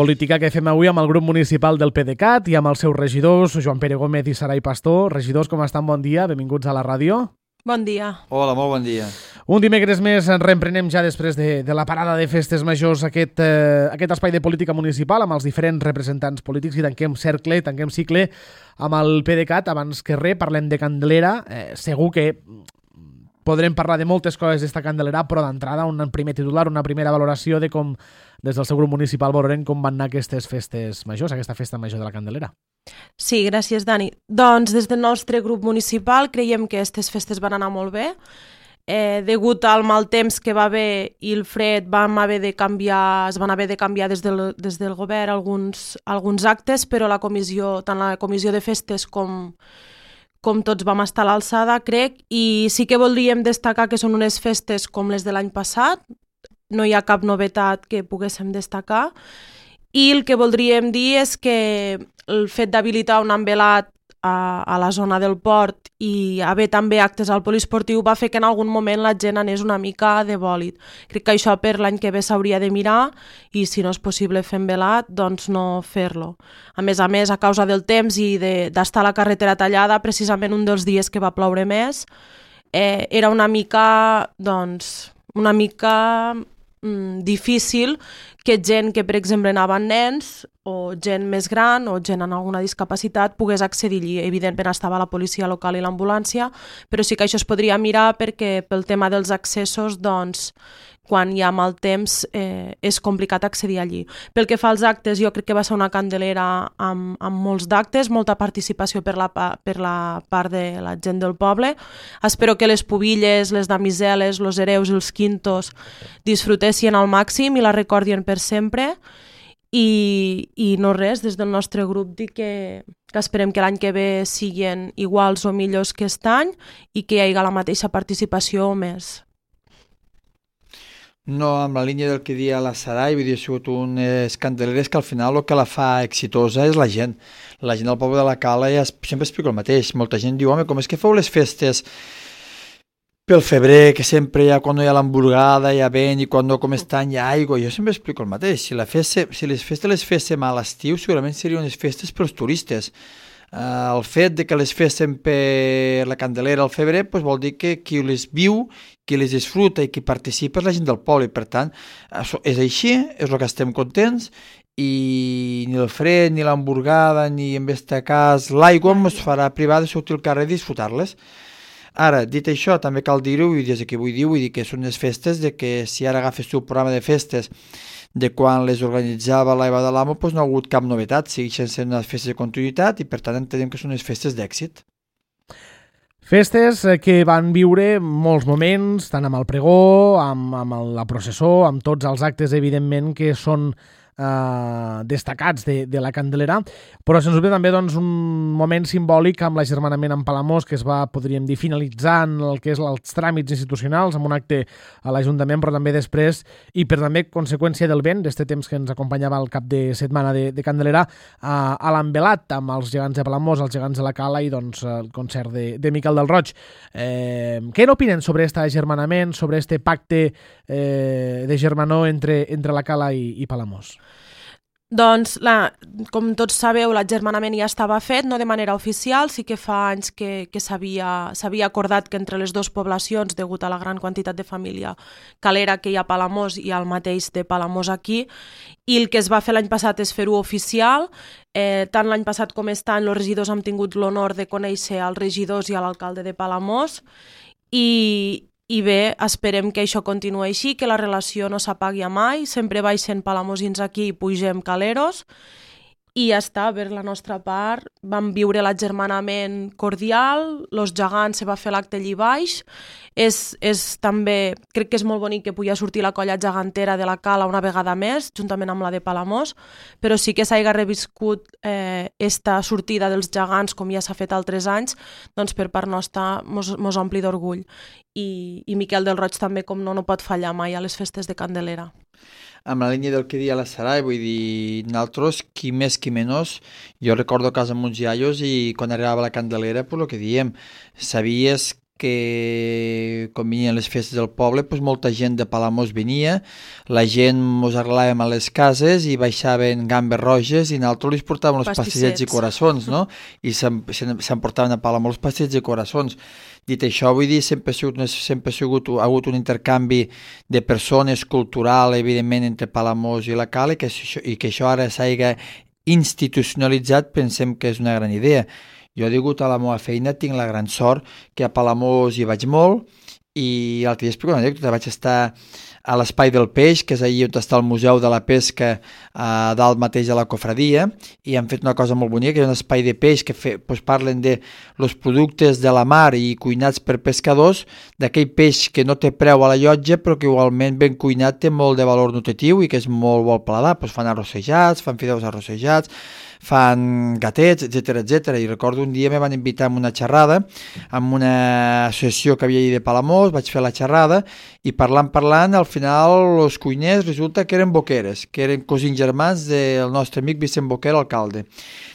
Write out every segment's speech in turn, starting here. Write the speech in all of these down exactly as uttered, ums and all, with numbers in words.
Política que fem avui amb el grup municipal del PDeCAT i amb els seus regidors, Joan Pere Gómez i Sarai Pastor. Regidors, com estan? Bon dia, benvinguts a la ràdio. Bon dia. Hola, molt bon dia. Un dimecres més ens reemprenem ja després de, de la parada de festes majors aquest, eh, aquest espai de política municipal amb els diferents representants polítics i tanquem cercle, tanquem cicle amb el PDeCAT. Abans que res, parlem de Candelera. Eh, segur que podrem parlar de moltes coses d'esta Candelera, però d'entrada un primer titular, una primera valoració de com des del seu grup municipal veurem com van anar aquestes festes majors, aquesta festa major de la Candelera. Sí, gràcies, Dani. Doncs des del nostre grup municipal creiem que aquestes festes van anar molt bé. Eh, degut al mal temps que va haver i el fred vam haver de canviar, es van haver de canviar des del, des del govern alguns, alguns actes, però la comissió, tant la comissió de festes com com tots vam estar a l'alçada, crec, i sí que voldríem destacar que són unes festes com les de l'any passat, no hi ha cap novetat que poguéssim destacar, i el que voldríem dir és que el fet d'habilitar un envelat a, a la zona del port i haver també actes al poliesportiu va fer que en algun moment la gent anés una mica de bòlit. Crec que això per l'any que ve s'hauria de mirar i si no és possible fer envelat, doncs no fer-lo. A més a més, a causa del temps i d'estar a la carretera tallada, precisament un dels dies que va ploure més, eh, era una mica, doncs, una mica mm, difícil que gent que, per exemple, anaven nens o gent més gran o gent amb alguna discapacitat pogués accedir allí. Evidentment estava la policia local i l'ambulància, però sí que això es podria mirar perquè pel tema dels accessos, doncs, quan hi ha mal temps eh, és complicat accedir allí. Pel que fa als actes, jo crec que va ser una Candelera amb, amb molts d'actes, molta participació per la, per la part de la gent del poble. Espero que les pubilles, les damiseles, els hereus i els quintos disfrutessin al màxim i la recordien per sempre. I, i no res, des del nostre grup dir que, que esperem que l'any que ve siguin iguals o millors que aquest any i que hi hagi la mateixa participació o més. No, amb la línia del que dia la Sarai, vull dir, ha sigut unes candeleres que al final el que la fa exitosa és la gent. La gent del poble de la Cala ja sempre explico el mateix. Molta gent diu, home, com és que feu les festes pel febrer, que sempre hi ha, quan no hi ha l'hamburgada, hi ha vent, i quan no com estan hi ha aigua. Jo sempre explico el mateix. Si, la feste, si les festes les féssim a l'estiu, segurament serien unes festes pels turistes. Uh, el fet de que les féssim per la Candelera al febrer pues vol dir que qui les viu, qui les disfruta i qui participa és la gent del poble. Per tant, és així, és el que estem contents, i ni el fred, ni l'hamburgada, ni en aquest cas l'aigua ens farà privar de sortir al carrer i disfrutar-les. Ara, dit això, també cal dir-ho, i des que vull dir, vull dir que són unes festes de que si ara agafes tu el programa de festes de quan les organitzava l'Eva de l'Amo, doncs no ha hagut cap novetat, segueixen sent unes festes de continuïtat i per tant entenem que són unes festes d'èxit. Festes que van viure molts moments, tant amb el pregó, amb, amb la processó, amb tots els actes, evidentment, que són Uh, destacats de, de la Candelera, però se'ns ve també doncs, un moment simbòlic amb l'agermanament amb Palamós que es va, podríem dir, finalitzant el que és els tràmits institucionals amb un acte a l'Ajuntament, però també després i per també conseqüència del vent d'este temps que ens acompanyava al cap de setmana de, de Candelera, uh, a l'envelat amb els gegants de Palamós, els gegants de la Cala i doncs el concert de, de Miquel del Roig. Eh, què n'opinen sobre aquest agermanament, sobre este pacte eh, de germanor entre, entre la Cala i, i Palamós? Doncs, la, com tots sabeu, l'agermanament ja estava fet, no de manera oficial, sí que fa anys que, que s'havia acordat que entre les dues poblacions, degut a la gran quantitat de família calera que hi ha a Palamós i al mateix de Palamós aquí, i el que es va fer l'any passat és fer-ho oficial. Eh, tant l'any passat com aquest any els regidors han tingut l'honor de conèixer als regidors i a l'alcalde de Palamós i I bé, esperem que això continuï així, que la relació no s'apagui mai, sempre baixen palamosins aquí i pugem caleros, i ja està, per la nostra part. Vam viure l'agermanament cordial, els gegants se va fer l'acte allí baix, és, és també, crec que és molt bonic que pugui sortir la colla gegantera de la Cala una vegada més, juntament amb la de Palamós, però sí que s'hagi reviscut eh, esta sortida dels gegants, com ja s'ha fet altres anys, doncs per part nostra mos, mos ompli d'orgull. I, i Miquel del Roig també, com no, no pot fallar mai a les festes de Candelera. Amb la línia del que dia la Sarai, vull dir, nosaltres, qui més, qui menys, jo recordo a casa amb uns iaios i quan arribava la Candelera, pues el que diem, sabies que quan venien les festes del poble, doncs molta gent de Palamós venia, la gent mos arrelàvem a les cases i baixaven gambes roges i nosaltres els portàvem els pastissets i coraçons, no? I s'emportaven a Palamós els pastissets i coraçons. Dit això, vull dir, sempre ha sigut, sempre ha sigut ha hagut un intercanvi de persones cultural, evidentment, entre Palamós i la Cala, i que, i que això ara s'hagi institucionalitzat, pensem que és una gran idea. Jo, degut a la meva feina, tinc la gran sort que a Palamós hi vaig molt i l'altre dia explico una anècdota, vaig estar a l'Espai del Peix, que és allà on està el Museu de la Pesca, a dalt mateix de la Cofradia, i han fet una cosa molt bonica, que és un espai de peix que fe, doncs parlen de los productes de la mar i cuinats per pescadors, d'aquell peix que no té preu a la llotja, però que igualment ben cuinat té molt de valor nutritiu i que és molt bo al paladar. Doncs fan arrossejats, fan fideus arrossejats, fan gatets, etcètera, etcètera. I recordo un dia me van invitar a una xerrada amb una associació que havia allà de Palamós, vaig fer la xerrada i parlant, parlant, al final els cuiners resulta que eren boqueres, que eren cosins germans del nostre amic Vicent Boquer, alcalde.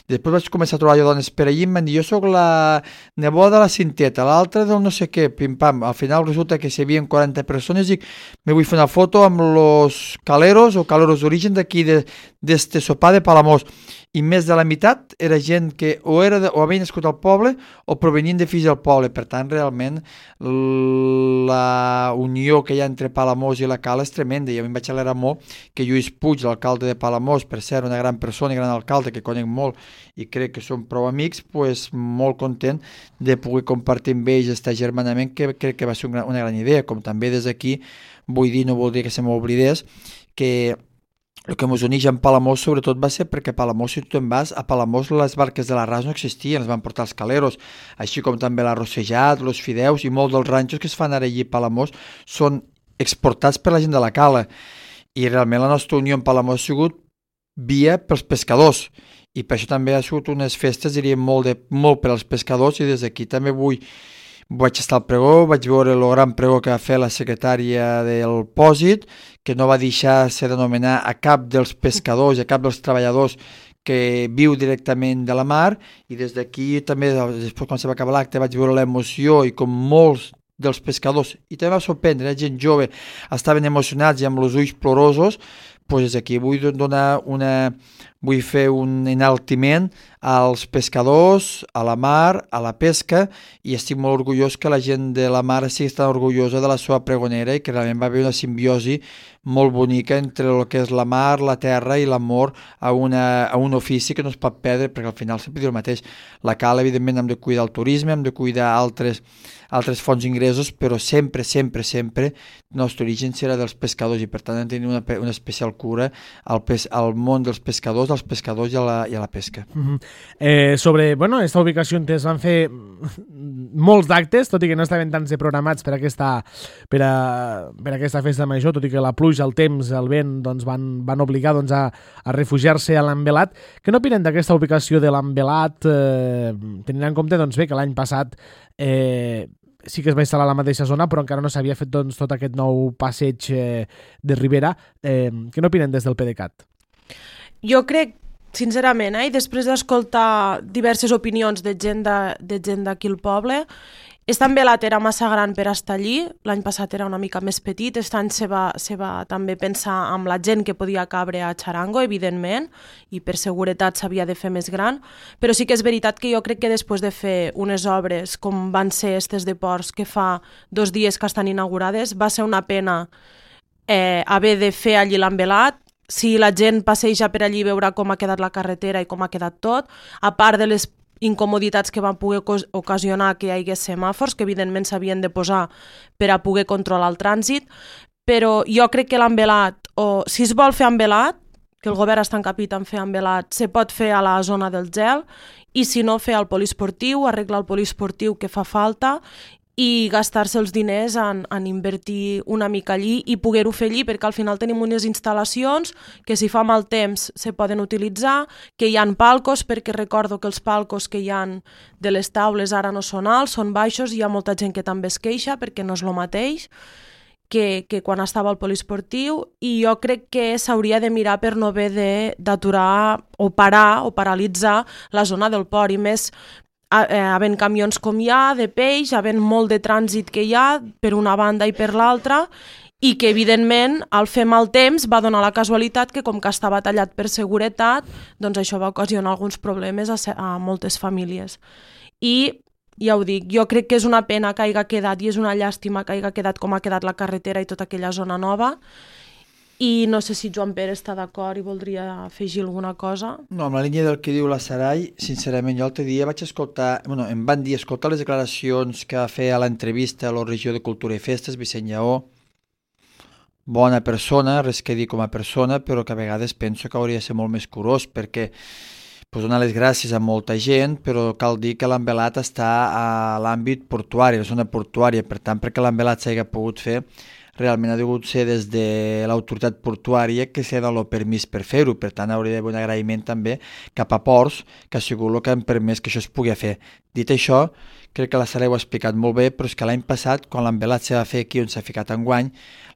Després vaig començar a trobar dones per allí i em van dir, jo sóc la neboda de la Cinteta, l'altra del no sé què, pim-pam. Al final resulta que si hi havia quaranta persones i me vull fer una foto amb los caleros o caleros d'origen d'aquí, d'este sopar de Palamós. I més de la meitat era gent que o, era de, o havia nascut al poble o provenien de fills del poble. Per tant, realment, la unió que hi ha entre Palamós i la Cala és tremenda. I a mi em vaig alegrar molt que Lluís Puig, l'alcalde de Palamós, per ser una gran persona i gran alcalde que conec molt i crec que som prou amics, pues, molt content de poder compartir amb ells aquest germanament, que crec que va ser una, una gran idea. Com també des d'aquí vull dir, no voldria que se m'oblidés, que el que ens uneix en Palamós sobretot va ser perquè a Palamós, si tu te'n vas, a Palamós les barques de l'arràs no existien, les van portar els caleros, així com també l'arrossejat, els fideus i molts dels ranxos que es fan ara allí a Palamós són exportats per la gent de la Cala. I realment la nostra unió en Palamós ha sigut via pels pescadors i per això també ha sigut unes festes, diríem, molt, de, molt per als pescadors i des d'aquí també vull Vaig estar al pregó, vaig veure el gran pregó que va fer la secretària del Pòsit, que no va deixar-se d'anomenar a cap dels pescadors, a cap dels treballadors que viu directament de la mar, i des d'aquí també, després quan se va acabar l'acte, vaig veure l'emoció i com molts dels pescadors, i també va sorprendre, la gent jove estaven emocionats i amb els ulls plorosos, doncs aquí vull donar una, vull fer un enaltiment als pescadors, a la mar, a la pesca, i estic molt orgullós que la gent de la mar sigui tan orgullosa de la seva pregonera i que realment va haver una simbiosi molt bonica entre el que és la mar, la terra i l'amor a, una, a un ofici que no es pot perdre, perquè al final sempre diu el mateix. La Cala, evidentment, hem de cuidar el turisme, hem de cuidar altres, altres fonts d'ingressos, però sempre, sempre, sempre el nostre origen serà dels pescadors i per tant hem de tenir una, una especial cura al, pes, al món dels pescadors, als pescadors i a la, i a la pesca. Mm-hmm. eh, sobre, bueno, esta ubicació on es van fer molts d'actes, tot i que no estaven tants programats per aquesta, per a, per a aquesta festa major, tot i que la pluja, el temps, el vent doncs van, van obligar doncs, a, a refugiar-se a l'Envelat. Què n'opinen d'aquesta ubicació de l'Envelat, eh, tenint en compte doncs, bé, que l'any passat eh, sí que es va instal·lar a la mateixa zona, però encara no s'havia fet doncs, tot aquest nou passeig eh, de Ribera. Eh, què n'opinen des del PDeCAT? Jo crec, sincerament, eh, i després d'escoltar diverses opinions de gent de, de gent d'aquí al poble, aquest Envelat era massa gran per estar allí, l'any passat era una mica més petit, aquest any se va, se va també pensar amb la gent que podia cabre a Charango, evidentment, i per seguretat s'havia de fer més gran, però sí que és veritat que jo crec que després de fer unes obres com van ser aquestes de ports que fa dos dies que estan inaugurades, va ser una pena eh, haver de fer allí l'Envelat. Si la gent passeja per allí veurà com ha quedat la carretera i com ha quedat tot, a part de les incomoditats que van poder ocasionar que hi hagués semàfors, que evidentment s'havien de posar per a poder controlar el trànsit, però jo crec que l'Envelat, o si es vol fer Envelat, que el govern està encapit en fer Envelat, se pot fer a la zona del gel, i si no, fer el poliesportiu, arreglar el poliesportiu que fa falta, i gastar-se els diners en, en invertir una mica allí i poder-ho fer allí, perquè al final tenim unes instal·lacions que si fa mal temps se poden utilitzar, que hi ha palcos, perquè recordo que els palcos que hi ha de les taules ara no són alts, són baixos, i hi ha molta gent que també es queixa perquè no és el mateix que, que quan estava al poliesportiu, i jo crec que s'hauria de mirar per no haver d'aturar o parar o paralitzar la zona del port, i més havent camions com hi ha, de peix, havent molt de trànsit que hi ha, per una banda i per l'altra, i que, evidentment, al fer mal temps va donar la casualitat que, com que estava tallat per seguretat, doncs això va ocasionar alguns problemes a, a moltes famílies. I, ja ho dic, jo crec que és una pena que hagi quedat, i és una llàstima que hagi quedat com ha quedat la carretera i tota aquella zona nova, i no sé si Joan Pere està d'acord i voldria afegir alguna cosa. No, amb la línia del que diu la Sarai, sincerament, jo l'altre dia vaig escoltar, bueno, em van dir, escoltar les declaracions que va fer a l'entrevista a la regió de Cultura i Festes, Vicent Lleó, bona persona, res que dir com a persona, però que a vegades penso que hauria de ser molt més curós, perquè pues, donar les gràcies a molta gent, però cal dir que l'envelat està a l'àmbit portuari, a la zona portuària, per tant, perquè l'envelat s'hagi pogut fer, realment ha degut ser des de l'autoritat portuària que s'ha donat el permís per fer-ho, per tant hauria d'haver un agraïment també cap a Ports, que ha sigut el que han permès que això es pugui fer. Dit això, crec que la Sara ho ha explicat molt bé, però és que l'any passat, quan l'envelat s'ha de fer aquí on s'ha ficat enguany,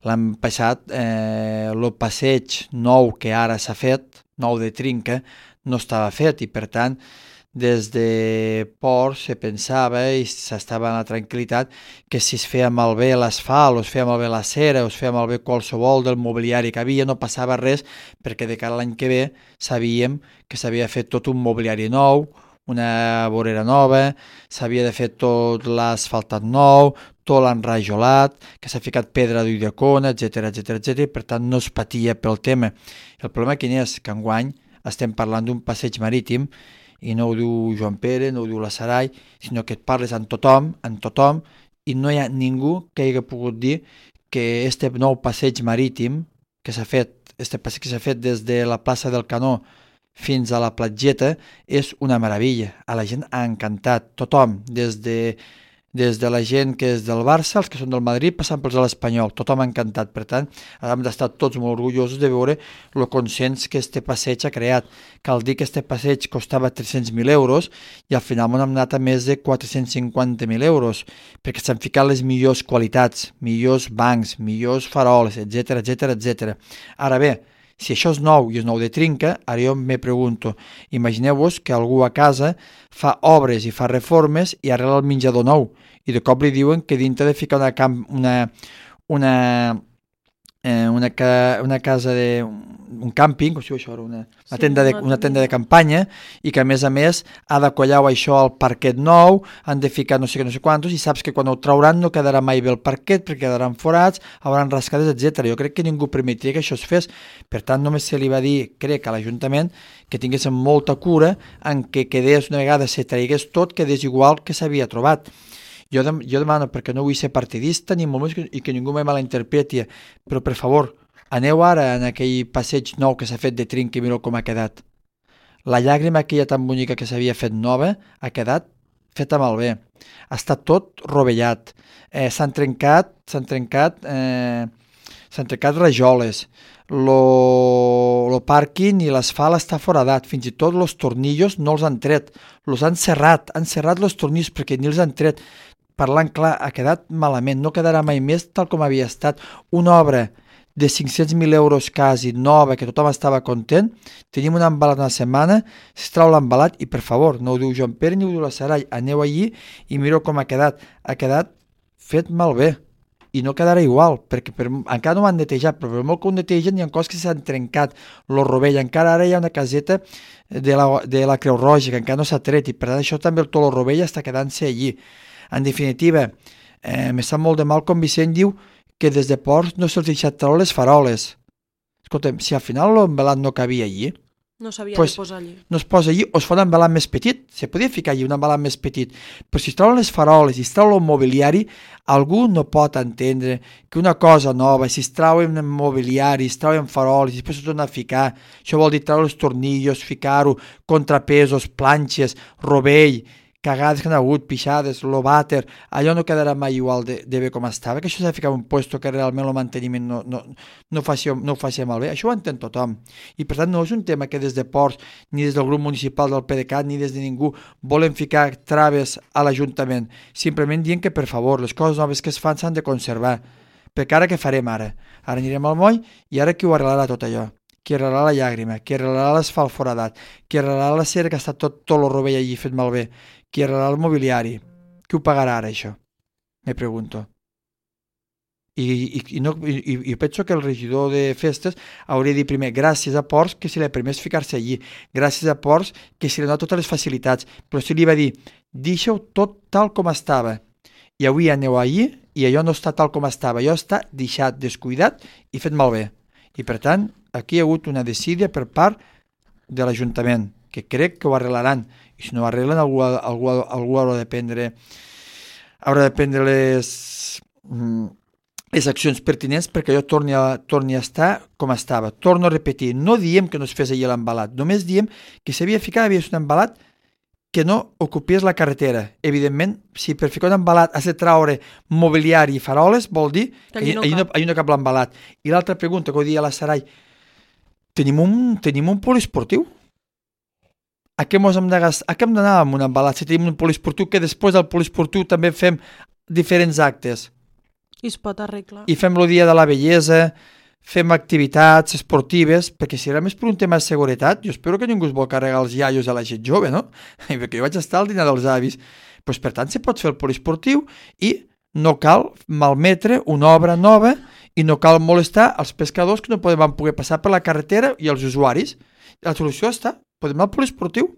l'any passat eh, el passeig nou que ara s'ha fet, nou de trinca, no estava fet i per tant des de Ports se pensava i s'estava en la tranquil·litat que si es feia malbé l'asfalt o es feia malbé la cera o es feia malbé qualsevol del mobiliari que havia no passava res perquè de cara a l'any que ve sabíem que s'havia fet tot un mobiliari nou, una vorera nova, s'havia de fer tot l'asfaltat nou, tot l'enrajolat, que s'ha ficat pedra d'Ulldecona, etcètera, etcètera, etcètera, i per tant no es patia pel tema. El problema quin és? Que enguany estem parlant d'un passeig marítim i no ho diu Joan Pere, no ho diu la Sarai, sinó que et parles amb tothom, amb tothom, i no hi ha ningú que hagi pogut dir que este nou passeig marítim que s'ha fet, este passeig que s'ha fet des de la plaça del Canó fins a la platgeta és una meravella. A la gent ha encantat, tothom, des de, des de la gent que és del Barça, els que són del Madrid, passant pels de l'Espanyol, tothom ha encantat. Per tant, hem d'estar tots molt orgullosos de veure el consens que este passeig ha creat. Cal dir que este passeig costava tres-cents mil euros i al final hem anat a més de quatre-cents cinquanta mil euros, perquè s'han ficat les millors qualitats, millors bancs, millors faroles, etcètera, etcètera, etcètera. Ara bé, si això és nou i és nou de trinca, ara jo me pregunto, imagineu-vos que algú a casa fa obres i fa reformes i arregla el menjador nou i de cop li diuen que dintre de ficar una, camp, una, una, eh, una, ca, una casa de un càmping, o sigui, això era una, una, tenda de, una tenda de campanya i que a més a més ha de collar això al parquet nou, han de ficar no sé què, no sé quantos i saps que quan ho trauran no quedarà mai bé el parquet perquè quedaran forats, hauran rascades, etcètera. Jo crec que ningú permetria que això es fes, per tant només se li va dir, crec, a l'Ajuntament que tinguéssim molta cura en que quedés una vegada se traigués tot, quedés igual que s'havia trobat. Jo, dem jo demano, perquè no vull ser partidista ni molt més que, i que ningú me malinterpreti, però per favor, aneu ara en aquell passeig nou que s'ha fet de trinca i mireu com ha quedat. La llàgrima aquella tan bonica que s'havia fet nova ha quedat feta malbé. Ha estat tot rovellat. Eh, s'han trencat, s'han trencat, eh, s'han trencat rajoles. Lo, lo pàrquing i l'asfalt està foradat. Fins i tot els tornillos no els han tret. Els han serrat, han serrat els tornillos perquè ni els han tret. Parlant clar, ha quedat malament. No quedarà mai més tal com havia estat. Una obra de cinc-cents mil euros quasi nova, que tothom estava content, tenim un embalat una setmana, es trau l'embalat i per favor, no ho diu Joan Pere ni ho diu la Sarai, aneu allí i mireu com ha quedat. Ha quedat fet malbé i no quedarà igual, perquè per, encara no ho han netejat, però per molt que ho netegen hi ha coses que s'han trencat, lo rovell, encara ara hi ha una caseta de la, de la Creu Roja que encara no s'ha tret i per tant això també tot el rovell està quedant-se allí. En definitiva, eh, me sap molt de mal com Vicent diu que des de Ports no se'ls deixat treure les faroles. Escolta'm, si al final l'embalat no cabia allí, no s'havia pues, de posar allí. No es posa allí o es fa un embalat més petit. Se podia ficar allí un embalat més petit. Però si es treuen les faroles i es treu el mobiliari, algú no pot entendre que una cosa nova, si es treuen mobiliari, es treuen faroles i després es torna a ficar, això vol dir treure els tornillos, ficar-ho, contrapesos, planxes, rovell, cagades que han hagut, pixades, lo vàter, allò no quedarà mai igual de, de bé com estava, que això s'ha de ficar en un puesto que realment el manteniment no, no, no, faci, no ho faci malbé, això ho entén tothom. I per tant no és un tema que des de Ports, ni des del grup municipal del P D C A T, ni des de ningú volen ficar traves a l'Ajuntament, simplement dient que per favor, les coses noves que es fan s'han de conservar, perquè ara què farem ara? Ara anirem al moll i ara qui ho arreglarà tot allò? qui arreglarà la llàgrima, qui arreglarà l'asfalt foradat, qui arreglarà la cera que està tot, tot el rovell allí fet malbé, qui arreglarà el mobiliari. Qui ho pagarà ara, això? Me pregunto. I, i, i, no, i, i penso que el regidor de festes hauria de dir primer gràcies a Ports que se li permès ficar-se allí, gràcies a Ports que se li ha donat totes les facilitats, però si li va dir deixeu tot tal com estava i avui aneu allí i allò no està tal com estava, allò està deixat, descuidat i fet malbé. I per tant, aquí hi ha hagut una decídia per part de l'Ajuntament, que crec que ho arreglaran, i si no ho arreglen algú, algú, algú haurà de prendre haurà de prendre les, les accions pertinents perquè allò torni a, torni a estar com estava. Torno a repetir, no diem que no es fes allà l'embalat, només diem que s'havia ficat, havia un embalat que no ocupés la carretera. Evidentment, si per ficar un embalat has de traure mobiliari i faroles, vol dir que allà no, no, no cap l'embalat. I l'altra pregunta que ho dia a la Sarai, tenim un, tenim un poliesportiu? A què mos hem de gastar? A què hem d'anar amb un embalat si tenim un poliesportiu que després del poliesportiu també fem diferents actes? I es pot arreglar. I fem el dia de la bellesa, fem activitats esportives, perquè si era més per un tema de seguretat, jo espero que ningú es vol carregar els iaios a la gent jove, no? Perquè jo vaig estar al dinar dels avis. Pues, per tant, se pot fer el poliesportiu i no cal malmetre una obra nova i no cal molestar els pescadors que no poden poder passar per la carretera i els usuaris. La solució està, podem anar al poliesportiu.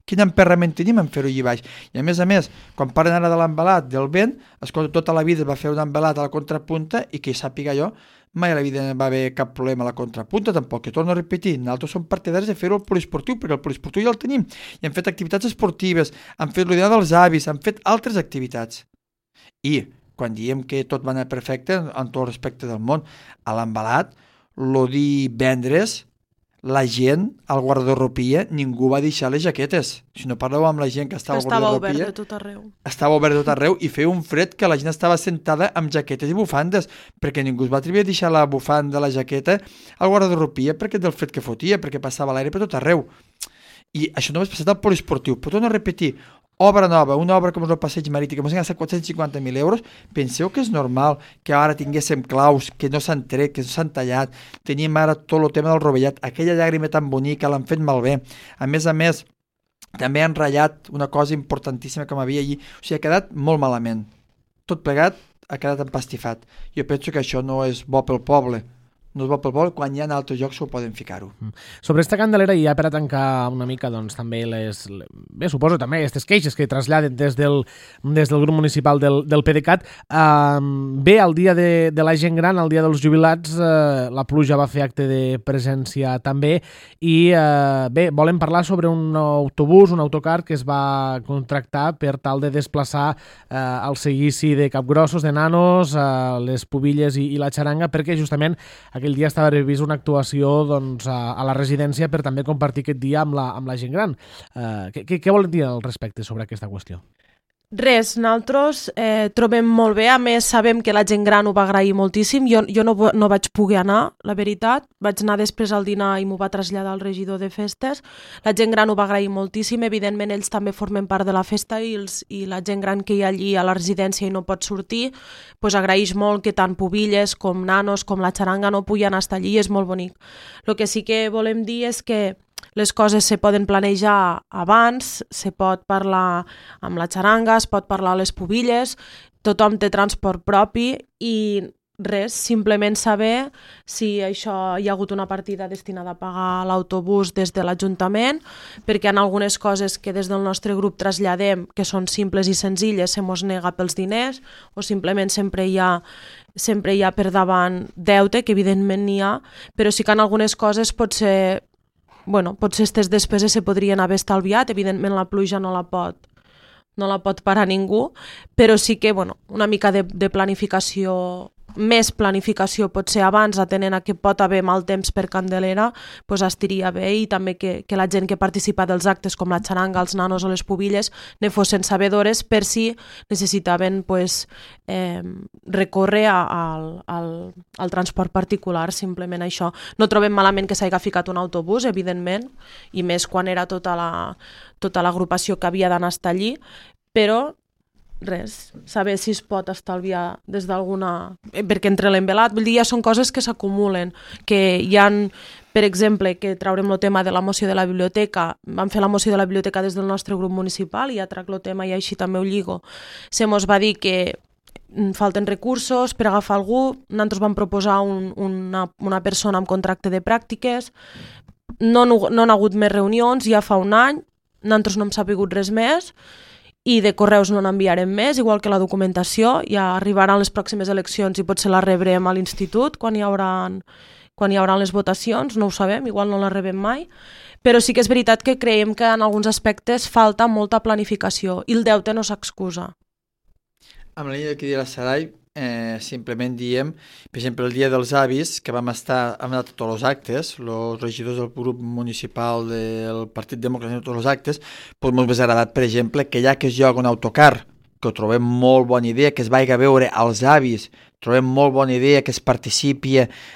Quin emperrament tenim en fer-ho allà baix? I a més a més, quan parlen ara de l'embalat, del vent, escolta, tota la vida es va fer un embalat a la contrapunta i que sàpiga jo, mai a la vida no va haver cap problema a la contrapunta tampoc, que torno a repetir, nosaltres som partidaris de fer-ho al poliesportiu, perquè el poliesportiu ja el tenim, i han fet activitats esportives, han fet l'idea dels avis, han fet altres activitats. I quan diem que tot va anar perfecte, en tot respecte del món, a l'embalat, lo divendres, la gent al guardarropia ningú va deixar les jaquetes. Si no parleu amb la gent que estava, que estava al obert guardarropia, de tot arreu. Estava obert de tot arreu i feia un fred que la gent estava sentada amb jaquetes i bufandes, perquè ningú es va atrevir a deixar la bufanda, la jaqueta al guardarropia perquè del fred que fotia, perquè passava l'aire per tot arreu. I això només passat al poliesportiu. Però torno a repetir, obra nova, una obra com el passeig marítim, que ens han gastat quatre-cents cinquanta mil euros, penseu que és normal que ara tinguéssim claus que no s'han tret, que no s'han tallat, tenim ara tot el tema del rovellat, aquella llàgrima tan bonica l'han fet malbé. A més a més, també han ratllat una cosa importantíssima que m'havia allí, o sigui, ha quedat molt malament. Tot plegat ha quedat empastifat. Jo penso que això no és bo pel poble. No és bo pel poble, quan hi ha altres llocs ho poden ficar-ho. Sobre esta Candelera, i ja per a tancar una mica, doncs també les... Bé, suposo també aquestes queixes que traslladen des del, des del grup municipal del, del PDeCAT. Eh, bé, el dia de, de la gent gran, el dia dels jubilats, eh, la pluja va fer acte de presència també, i eh, bé, volem parlar sobre un autobús, un autocar que es va contractar per tal de desplaçar eh, el seguici de capgrossos, de nanos, eh, les pubilles i, i la xaranga, perquè justament aquell dia estava previst una actuació doncs, a, a la residència per també compartir aquest dia amb la, amb la gent gran. Uh, què, què volen dir al respecte sobre aquesta qüestió? Res, nosaltres eh, trobem molt bé, a més sabem que la gent gran ho va agrair moltíssim, jo, jo no, no vaig poder anar, la veritat, vaig anar després al dinar i m'ho va traslladar el regidor de festes, la gent gran ho va agrair moltíssim, evidentment ells també formen part de la festa i, els, i la gent gran que hi ha allí a la residència i no pot sortir, pues agraeix molt que tant pubilles com nanos com la xaranga no puguen estar allí, és molt bonic. El que sí que volem dir és que les coses se poden planejar abans, se pot parlar amb la xaranga, es pot parlar a les pubilles, tothom té transport propi i res, simplement saber si això hi ha hagut una partida destinada a pagar l'autobús des de l'Ajuntament, perquè en algunes coses que des del nostre grup traslladem, que són simples i senzilles, se mos nega pels diners, o simplement sempre hi ha sempre hi ha per davant deute, que evidentment n'hi ha, però sí que en algunes coses pot ser Bueno, potser aquestes despeses se podrien haver estalviat, evidentment la pluja no la pot, no la pot parar ningú, però sí que bueno, una mica de, de planificació, més planificació potser abans, atenent a que pot haver mal temps per Candelera, pues estiria bé i també que, que la gent que participa dels actes com la xaranga, els nanos o les pubilles ne fossin sabedores per si necessitaven pues, eh, recórrer al, al, al transport particular, simplement això. No trobem malament que s'hagi ficat un autobús, evidentment, i més quan era tota la, tota l'agrupació que havia d'anar a estar allí, però res, saber si es pot estalviar des d'alguna... perquè entre l'envelat, vull dir, ja són coses que s'acumulen, que hi han, per exemple, que traurem el tema de la moció de la biblioteca, vam fer la moció de la biblioteca des del nostre grup municipal i ja trac el tema i així també ho lligo. Se mos va dir que falten recursos per agafar algú, nosaltres vam proposar un, una, una persona amb contracte de pràctiques, no, no, no han hagut més reunions, ja fa un any, nosaltres no hem sapigut res més, i de correus no n'enviarem més, igual que la documentació, ja arribaran les pròximes eleccions i potser la rebrem a l'institut quan hi haurà, quan hi haurà les votacions, no ho sabem, igual no la rebem mai, però sí que és veritat que creiem que en alguns aspectes falta molta planificació i el deute no s'excusa. Amb la línia que deia la Sarai, eh, simplement diem, per exemple, el dia dels avis, que vam estar, hem anat a tots els actes, els regidors del grup municipal del Partit Democràtic, tots els actes, doncs m'ha agradat, per exemple, que ja que es lloga un autocar, que ho trobem molt bona idea, que es vagi a veure als avis, trobem molt bona idea que es participi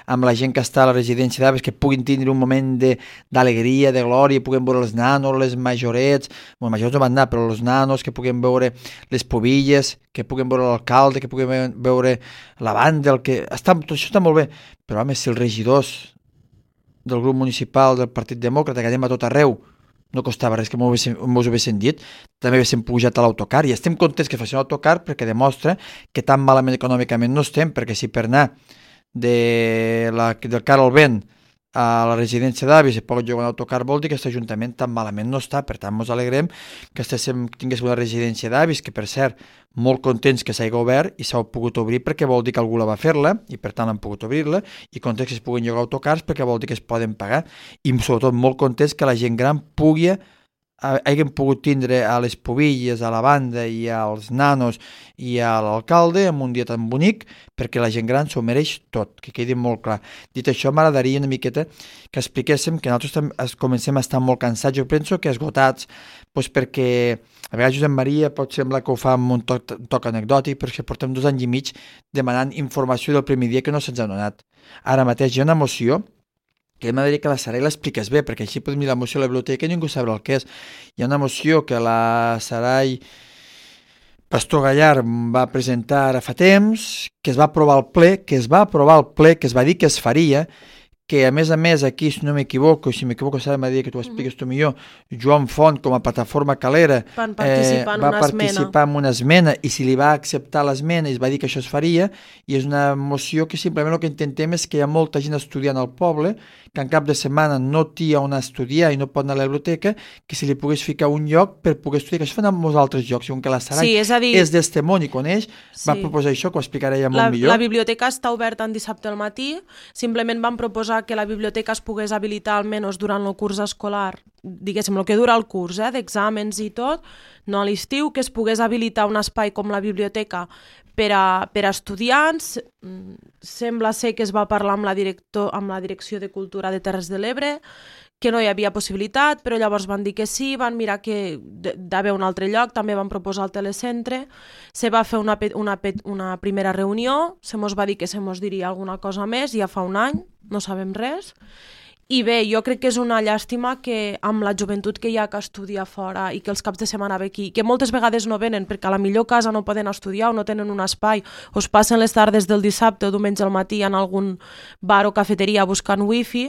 amb la gent que està a la residència d'avis, que puguin tindre un moment d'alegria, de, de glòria, puguin veure els nanos, les majorets, bueno, majorets no van anar, però els nanos, que puguin veure les pobilles, que puguin veure l'alcalde, que puguin veure la banda, el que... Està, tot això està molt bé, però home, si els regidors del grup municipal del Partit Demòcrata, que anem a tot arreu, no costava res que m'ho haguessin dit, també haguessin pujat a l'autocar, i estem contents que facin l'autocar perquè demostra que tan malament econòmicament no estem, perquè si per anar de la, del car al vent a la residència d'avis i pot jugar un autocar vol dir que aquest ajuntament tan malament no està, per tant ens alegrem que estéssim, tinguéssim una residència d'avis, que per cert, molt contents que s'hagi obert i s'ha pogut obrir perquè vol dir que algú la va fer-la i per tant han pogut obrir-la, i contents que es puguin llogar autocars perquè vol dir que es poden pagar, i sobretot molt contents que la gent gran pugui hagin pogut tindre a les pobilles, a la banda i als nanos i a l'alcalde en un dia tan bonic, perquè la gent gran s'ho mereix tot, que quedi molt clar. Dit això, m'agradaria una miqueta que expliquéssim que nosaltres comencem a estar molt cansats, jo penso que esgotats, doncs perquè a vegades Josep Maria pot semblar que ho fa amb un toc, toc anecdòtic, perquè portem dos anys i mig demanant informació del primer dia que no se'ns ha donat. Ara mateix hi ha una moció que m'agradaria que la Sarai l'expliqués bé, perquè així podem mirar la moció a la biblioteca i ningú sabrà el que és. Hi ha una moció que la Sarai Pastor Gallar va presentar ara fa temps, que es va aprovar al ple, que es va aprovar al ple, que es va dir que es faria, que a més a més aquí, si no m'equivoco, si m'equivoco Sarai m'ha dit que tu ho expliques tu millor, Joan Font com a plataforma calera Van participar en va una participar en una esmena, i si li va acceptar l'esmena i es va dir que això es faria, i és una moció que simplement el que intentem és que hi ha molta gent estudiant al poble, que en cap de setmana no té on estudiar i no pot anar a la biblioteca, que si li pogués ficar un lloc per poder estudiar, que això fan en molts altres llocs, i com que la Sarai sí, és, dir... és d'Estemont i coneix, sí. va proposar això, que ho explicarà ja molt la, millor. La biblioteca està oberta en dissabte al matí, simplement vam proposar que la biblioteca es pogués habilitar almenys durant el curs escolar, diguéssim, el que dura el curs, eh, d'exàmens i tot, no a l'estiu, que es pogués habilitar un espai com la biblioteca per a, per a estudiants. Sembla ser que es va parlar amb la, director, amb la Direcció de Cultura de Terres de l'Ebre, que no hi havia possibilitat, però llavors van dir que sí, van mirar que d'haver un altre lloc, també van proposar el telecentre, se va fer una, una, una primera reunió, se mos va dir que se mos diria alguna cosa més, ja fa un any, no sabem res, i bé, jo crec que és una llàstima que amb la joventut que hi ha que estudia fora i que els caps de setmana ve aquí, que moltes vegades no venen perquè a la millor casa no poden estudiar o no tenen un espai, o es passen les tardes del dissabte o diumenge al matí en algun bar o cafeteria buscant wifi,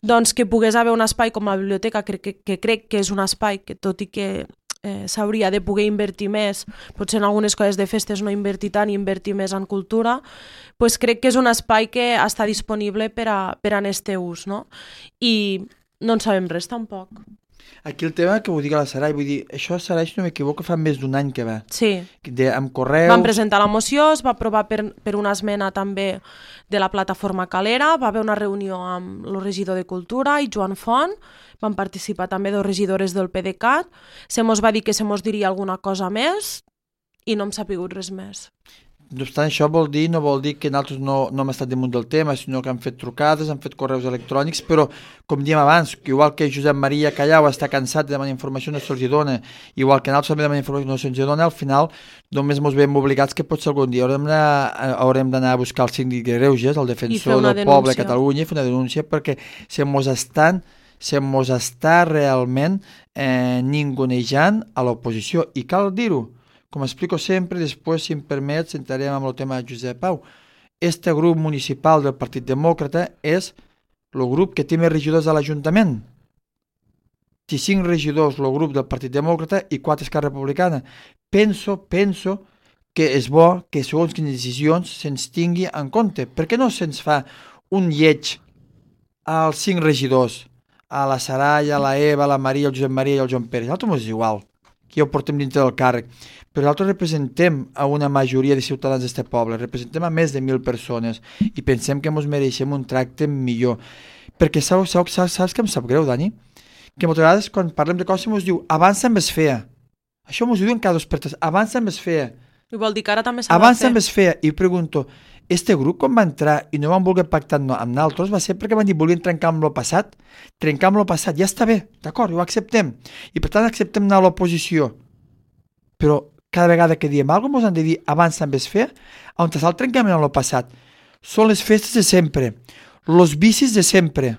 doncs que pogués haver un espai com la biblioteca, que, que, que crec que és un espai que tot i que eh, s'hauria de poder invertir més, potser en algunes coses de festes no invertir tant i invertir més en cultura, pues crec que és un espai que està disponible per a, per a este ús, no? I no en sabem res tampoc. Aquí el tema que ho digui la Sarai, vull dir, això Sarai, si no m'equivoco, fa més d'un any que va. Sí. De, amb correus... Vam presentar la moció, es va aprovar per, per una esmena també de la plataforma Calera, va haver una reunió amb el regidor de Cultura i Joan Font, van participar també dos regidores del P D C A T, se mos va dir que se mos diria alguna cosa més i no hem sapigut res més. No obstant, això vol dir, no vol dir que nosaltres no, no hem estat damunt del tema, sinó que han fet trucades, han fet correus electrònics, però, com diem abans, que igual que Josep Maria Callau està cansat de demanar informació no se'ls dona, igual que nosaltres també demanem informació no se'ls dona, al final només ens veiem obligats que potser algun dia haurem d'anar, haurem d'anar a buscar el síndic de Greuges, el defensor del denúncia. poble de Catalunya, i fer una denúncia perquè se mos estan se mos està realment eh, ningunejant a l'oposició, i cal dir-ho, Com explico sempre, després, si em permets, entrarem amb el tema de Josep Pau. Este grup municipal del Partit Demòcrata és el grup que té més regidors a l'Ajuntament. Té cinc regidors el grup del Partit Demòcrata i quatre Esquerra Republicana. Penso, penso que és bo que segons quines decisions se'ns tingui en compte. Per què no se'ns fa un lleig als cinc regidors? A la Saraya, a la Eva, a la Maria, el Josep Maria i el Joan Pere. Nosaltres és igual, que ja ho portem dintre del càrrec. Però nosaltres representem a una majoria de ciutadans d'aquest poble, representem a més de mil persones i pensem que ens mereixem un tracte millor. Perquè saps, saps, saps que em sap greu, Dani? Que moltes vegades quan parlem de coses ens diu abans també es feia. Això ens ho diuen cada dos per tres. Abans també es feia. I vol dir que ara també s'ha de fer. Abans també es feia. I pregunto, este grup quan va entrar i no van voler pactar amb nosaltres va ser perquè van dir volien trencar amb lo passat. Trencar amb lo passat, ja està bé, d'acord, ho acceptem. I per tant acceptem anar a l'oposició. Però cada vegada que diem alguna cosa ens han de dir abans també es feia. On està el trencament amb lo passat? Són les festes de sempre, els vicis de sempre.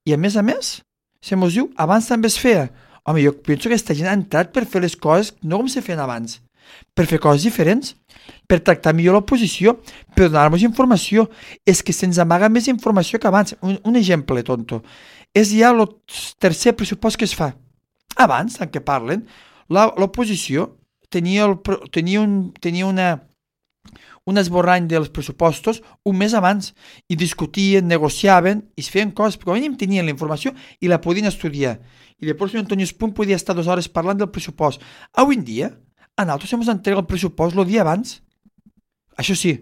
I a més a més, se mos diu abans també es feia. Home, jo penso que aquesta gent ha entrat per fer les coses no com se feien abans, per fer coses diferents, per tractar millor l'oposició, per donar-nos informació. És que se'ns amaga més informació que abans. Un, un exemple, tonto. És ja el tercer pressupost que es fa. Abans, en què parlen, l'oposició tenia, el, tenia, un, tenia una, un esborrany dels pressupostos un mes abans i discutien, negociaven i es feien coses, perquè a mínim tenien la informació i la podien estudiar. I després el Antoni Espuny podia estar dues hores parlant del pressupost. Avui en dia, a nosaltres ens entrega el pressupost el dia abans. Això sí,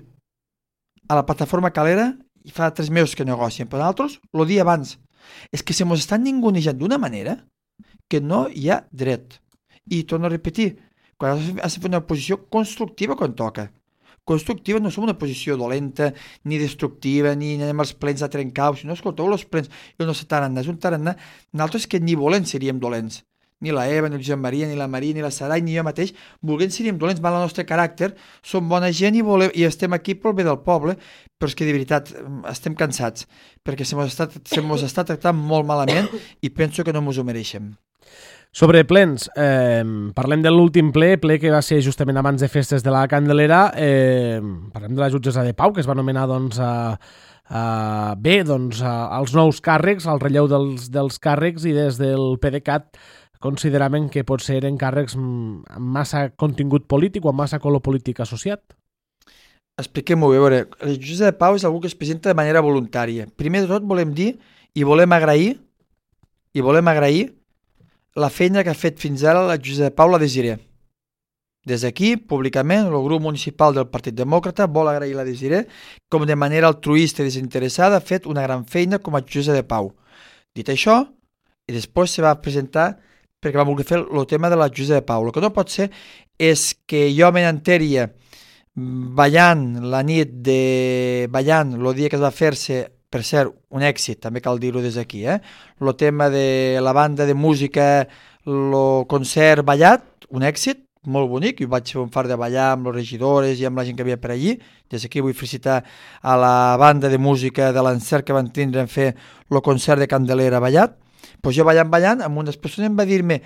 a la plataforma Calera i fa tres mesos que negocien, però a nosaltres el dia abans. És que se mos estan ningunejant d'una manera que no hi ha dret. I torno a repetir, quan has de fer una posició constructiva quan toca. Constructiva, no som una posició dolenta, ni destructiva, ni anem als plens a trencar, si no, escolteu, els plens, i no sé tarannà, és un tarannà, nosaltres que ni volent seríem dolents. Ni la Eva, ni el Josep Maria, ni la Maria, ni la Sarai, ni jo mateix, volent seríem dolents, mal el nostre caràcter, som bona gent i, volem, i estem aquí pel bé del poble, però és que de veritat estem cansats, perquè se mos està, se mos està tractant molt malament i penso que no mos ho mereixem. Sobre plens, eh, parlem de l'últim ple, ple que va ser justament abans de festes de la Candelera, eh, parlem de la jutgessa de Pau, que es va nomenar doncs, a, a, bé doncs, a, als nous càrrecs, al relleu dels, dels càrrecs, i des del PDeCAT consideraven que pot ser en càrrecs amb massa contingut polític o amb massa color polític associat. Expliquem-ho bé, veure, la jutgessa de Pau és algú que es presenta de manera voluntària. Primer de tot volem dir i volem agrair i volem agrair la feina que ha fet fins ara la jutgessa de Pau, la Desiré. Des d'aquí, públicament, el grup municipal del Partit Demòcrata vol agrair la Desiré com de manera altruista i desinteressada ha fet una gran feina com a jutgessa de Pau. Dit això, i després se va presentar perquè va voler fer el tema de la jutgessa de Pau. El que no pot ser és que jo me n'enteria ballant la nit de... ballant el dia que es va fer-se, per cert, un èxit, també cal dir-ho des d'aquí, eh? El tema de la banda de música, el concert ballat, un èxit, molt bonic, i vaig fer un far de ballar amb les regidores i amb la gent que havia per allí. Des d'aquí vull felicitar a la banda de música de l'encert que van tindre en fer el concert de Candelera ballat. Pues jo ballant, ballant, amb unes persones em va dir-me,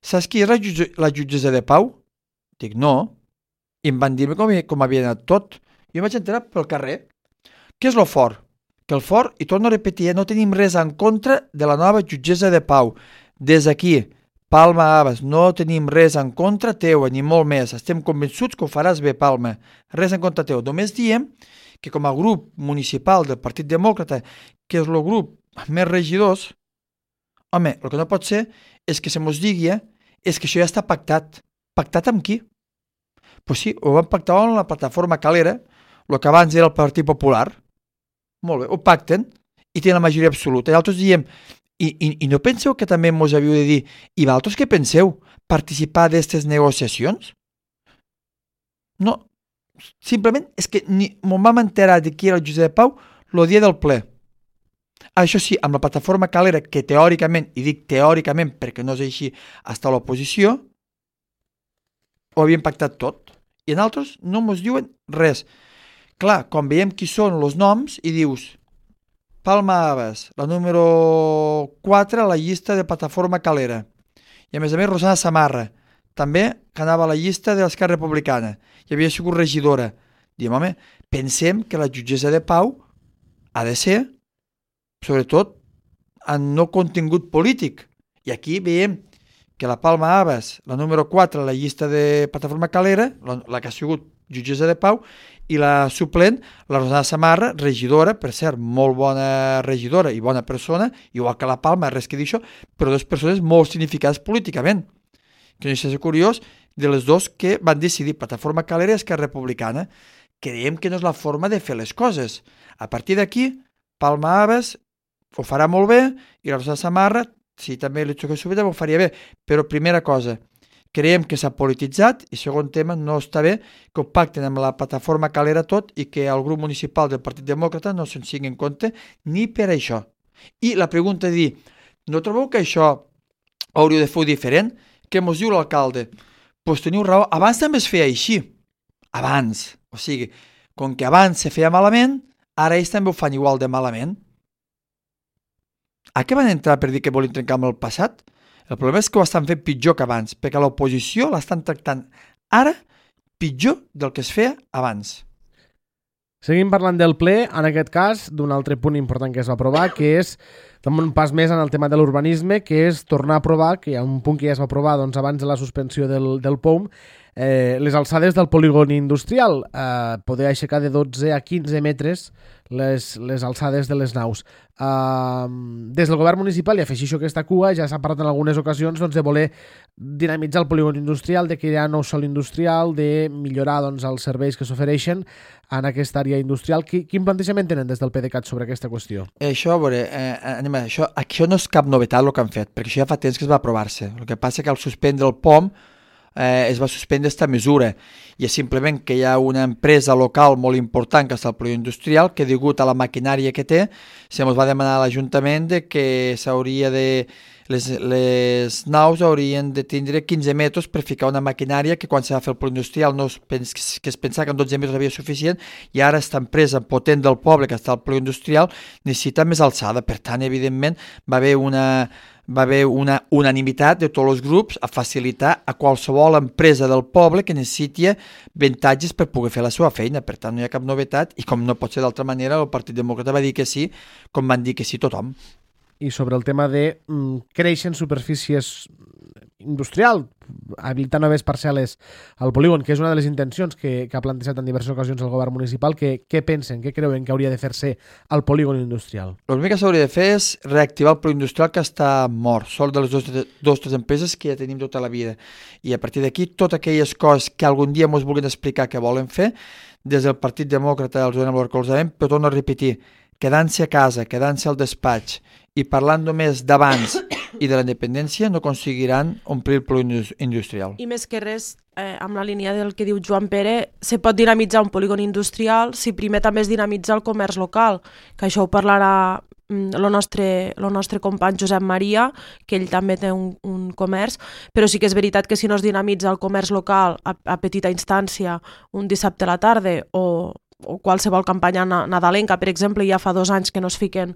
saps qui és la, jutge, la jutgessa de Pau? Dic, no. I em van dir-me com, com havia anat tot. Jo em vaig enterar pel carrer. Què és lo fort? Que el fort, i torno a repetir, no tenim res en contra de la nova jutgessa de Pau. Des d'aquí, Palma Abbas, no tenim res en contra teua, ni molt més. Estem convençuts que ho faràs bé, Palma. Res en contra teu. Només diem que com a grup municipal del Partit Demòcrata, que és el grup amb més regidors, home, el que no pot ser és que se mos digui és que això ja està pactat. Pactat amb qui? Pues sí, ho vam pactar amb la plataforma Calera, el que abans era el Partit Popular. Molt bé, ho pacten i tenen la majoria absoluta. I altres diem, i, i, i no penseu que també mos havíeu de dir, i vosaltres què penseu? Participar d'aquestes negociacions? No, simplement és que ni m'ho vam enterar de qui era el Josep Pau el dia del ple. Això sí, amb la plataforma Calera, que teòricament, i dic teòricament perquè no és així, està a l'oposició, ho havien pactat tot. I en altres no mos diuen res. Clar, quan veiem qui són els noms i dius Palma Abbas, la número quatre a la llista de plataforma Calera. I a més a més Rosana Samarra, també que anava a la llista de l'Esquerra Republicana i havia sigut regidora. Diem, home, pensem que la jutgessa de pau ha de ser, sobretot, en no contingut polític. I aquí veiem que la Palma Abas, la número quatre, la llista de Plataforma Calera, la, la que ha sigut jutgessa de pau, i la suplent, la Rosana Samarra, regidora, per cert, molt bona regidora i bona persona, igual que la Palma, res que dir això, però dues persones molt significades políticament. Que no és curiós, de les dos que van decidir Plataforma Calera i Esquerra Republicana. Creiem que no és la forma de fer les coses. A partir d'aquí, Palma Abas ho farà molt bé i la Rosana Samarra, si també li toca subida, ho faria bé. Però primera cosa, creiem que s'ha polititzat i segon tema, no està bé que ho pacten amb la Plataforma Calera tot i que el grup municipal del Partit Demòcrata no se'n sigui en compte ni per això. I la pregunta és dir, no trobeu que això hauríeu de fer diferent? Què mos diu l'alcalde? Doncs pues teniu raó, abans també es feia així. Abans. O sigui, com que abans se feia malament, ara ells també ho fan igual de malament. A què van entrar per dir que volen trencar amb el passat? El problema és que ho estan fent pitjor que abans, perquè l'oposició l'estan tractant ara pitjor del que es feia abans. Seguim parlant del ple, en aquest cas, d'un altre punt important que es va aprovar, que és un pas més en el tema de l'urbanisme, que és tornar a aprovar, que hi ha un punt que ja es va aprovar doncs, abans de la suspensió del, del P O M, eh, les alçades del polígon industrial, eh, poder aixecar de dotze a quinze metres les, les alçades de les naus. Uh, des del govern municipal, i afegeixo aquesta cua, ja s'ha parlat en algunes ocasions doncs, de voler dinamitzar el polígon industrial, de crear nou sòl industrial, de millorar doncs, els serveis que s'ofereixen en aquesta àrea industrial. Quin plantejament tenen des del PDeCAT sobre aquesta qüestió? Això, a veure, eh, anem a, això, això no és cap novetat el que han fet, perquè això ja fa temps que es va aprovar-se. El que passa que al suspendre el P O M eh, es va suspendre aquesta mesura i és simplement que hi ha una empresa local molt important que està al polígon industrial que degut a la maquinària que té se mos va demanar a l'Ajuntament de que s'hauria de les, les naus haurien de tindre quinze metres per ficar una maquinària que quan se va fer el polígon industrial no es, pens, que es pensava que en dotze metres havia suficient i ara aquesta empresa potent del poble que està al polígon industrial necessita més alçada. Per tant, evidentment, va haver una va haver una unanimitat de tots els grups a facilitar a qualsevol empresa del poble que necessiti avantatges per poder fer la seva feina. Per tant, no hi ha cap novetat i com no pot ser d'altra manera, el Partit Demòcrata va dir que sí, com van dir que sí tothom. I sobre el tema de mm, créixer en superfícies industrial, habilitar noves parcel·les al polígon, que és una de les intencions que, que ha plantejat en diverses ocasions el govern municipal, que, què pensen, què creuen que hauria de fer-se al polígon industrial? El primer que s'hauria de fer és reactivar el polígon industrial que està mort, sol de les dues tres empreses que ja tenim tota la vida. I a partir d'aquí, totes aquelles coses que algun dia ens vulguin explicar que volen fer, des del Partit Demòcrata els donem el recolzament, però torno a repetir, quedant-se a casa, quedant-se al despatx i parlant només d'abans i de la independència no aconseguiran omplir el polígon industrial. I més que res, eh, amb la línia del que diu Joan Pere, se pot dinamitzar un polígon industrial si primer també es dinamitza el comerç local, que això ho parlarà el nostre, el nostre company Josep Maria, que ell també té un, un comerç, però sí que és veritat que si no es dinamitza el comerç local a, a petita instància un dissabte a la tarda o, o qualsevol campanya nadalenca, per exemple, ja fa dos anys que no es fiquen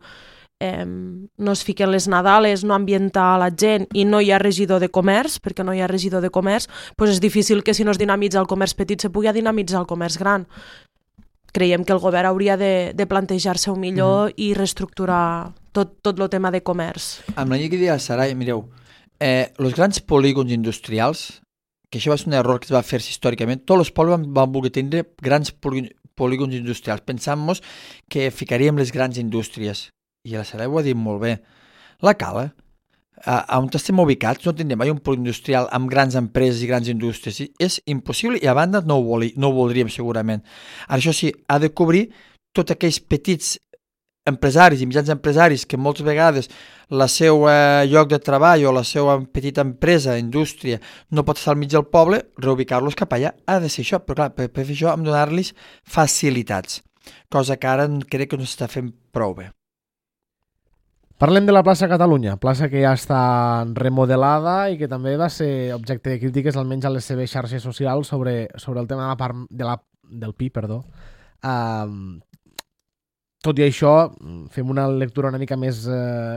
Eh, no es fiquen les Nadales, no ambienta la gent i no hi ha regidor de comerç, perquè no hi ha regidor de comerç, doncs és difícil que si no es dinamitza el comerç petit se pugui dinamitzar el comerç gran. Creiem que el govern hauria de, de plantejar-se-ho millor mm. i reestructurar tot, tot el tema de comerç. Amb la llei que deia Sarai, mireu, eh, els grans polígons industrials, que això va ser un error que es va fer històricament, tots els pobles van, van voler tindre grans polígons industrials. Pensant-nos que ficaríem les grans indústries. I la Sarai ho ha dit molt bé. La Cala, a on estem ubicats, no tindrem mai un polígon industrial amb grans empreses i grans indústries. És impossible i a banda no ho, voli, no ho voldríem segurament. Ara això sí, ha de cobrir tots aquells petits empresaris i mitjans empresaris que moltes vegades la seva lloc de treball o la seva petita empresa, indústria, no pot estar al mig del poble, reubicar-los cap allà ha de ser això. Però clar, per, per fer això hem de donar-los facilitats, cosa que ara crec que no s'està fent prou bé. Parlem de la plaça Catalunya, plaça que ja està remodelada i que també va ser objecte de crítiques, almenys a les seves xarxes socials, sobre, sobre el tema de la part de la, del Pi, perdó. Um, tot i això, fem una lectura una mica més eh,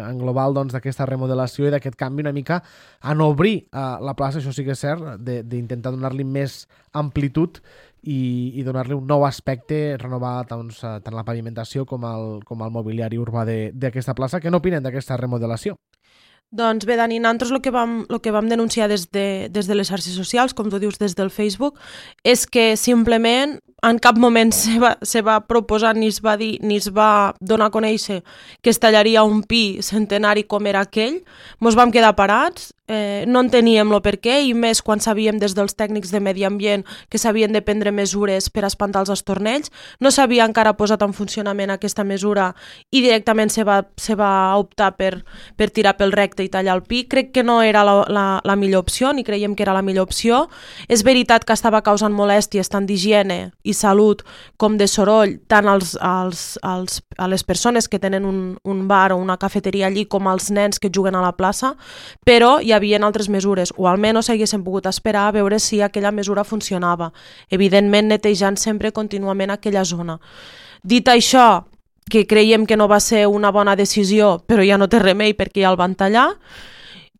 en global doncs, d'aquesta remodelació i d'aquest canvi una mica en obrir eh, la plaça, això sí que és cert, d'intentar donar-li més amplitud i, i donar-li un nou aspecte, renovar doncs, tant la pavimentació com el, com el mobiliari urbà d'aquesta plaça. Què n'opinen d'aquesta remodelació? Doncs bé, Dani, nosaltres el que vam, el que vam denunciar des de, des de les xarxes socials, com tu dius, des del Facebook, és que simplement en cap moment se va, se va proposar ni es va dir ni es va donar a conèixer que es tallaria un pi centenari com era aquell. Mos vam quedar parats, eh, no enteníem el per què, i més quan sabíem des dels tècnics de medi ambient que s'havien de prendre mesures per espantar els estornells. No s'havia encara posat en funcionament aquesta mesura i directament se va, se va optar per, per tirar pel recte i tallar el pi. Crec que no era la, la, la millor opció, ni creiem que era la millor opció. És veritat que estava causant molèsties tant d'higiene i salut com de soroll, tant als, als, als, a les persones que tenen un, un bar o una cafeteria allí com als nens que juguen a la plaça, però hi havia altres mesures, o almenys haguéssim pogut esperar a veure si aquella mesura funcionava. Evidentment, netejant sempre contínuament aquella zona. Dit això, que creiem que no va ser una bona decisió, però ja no té remei perquè ja el van tallar,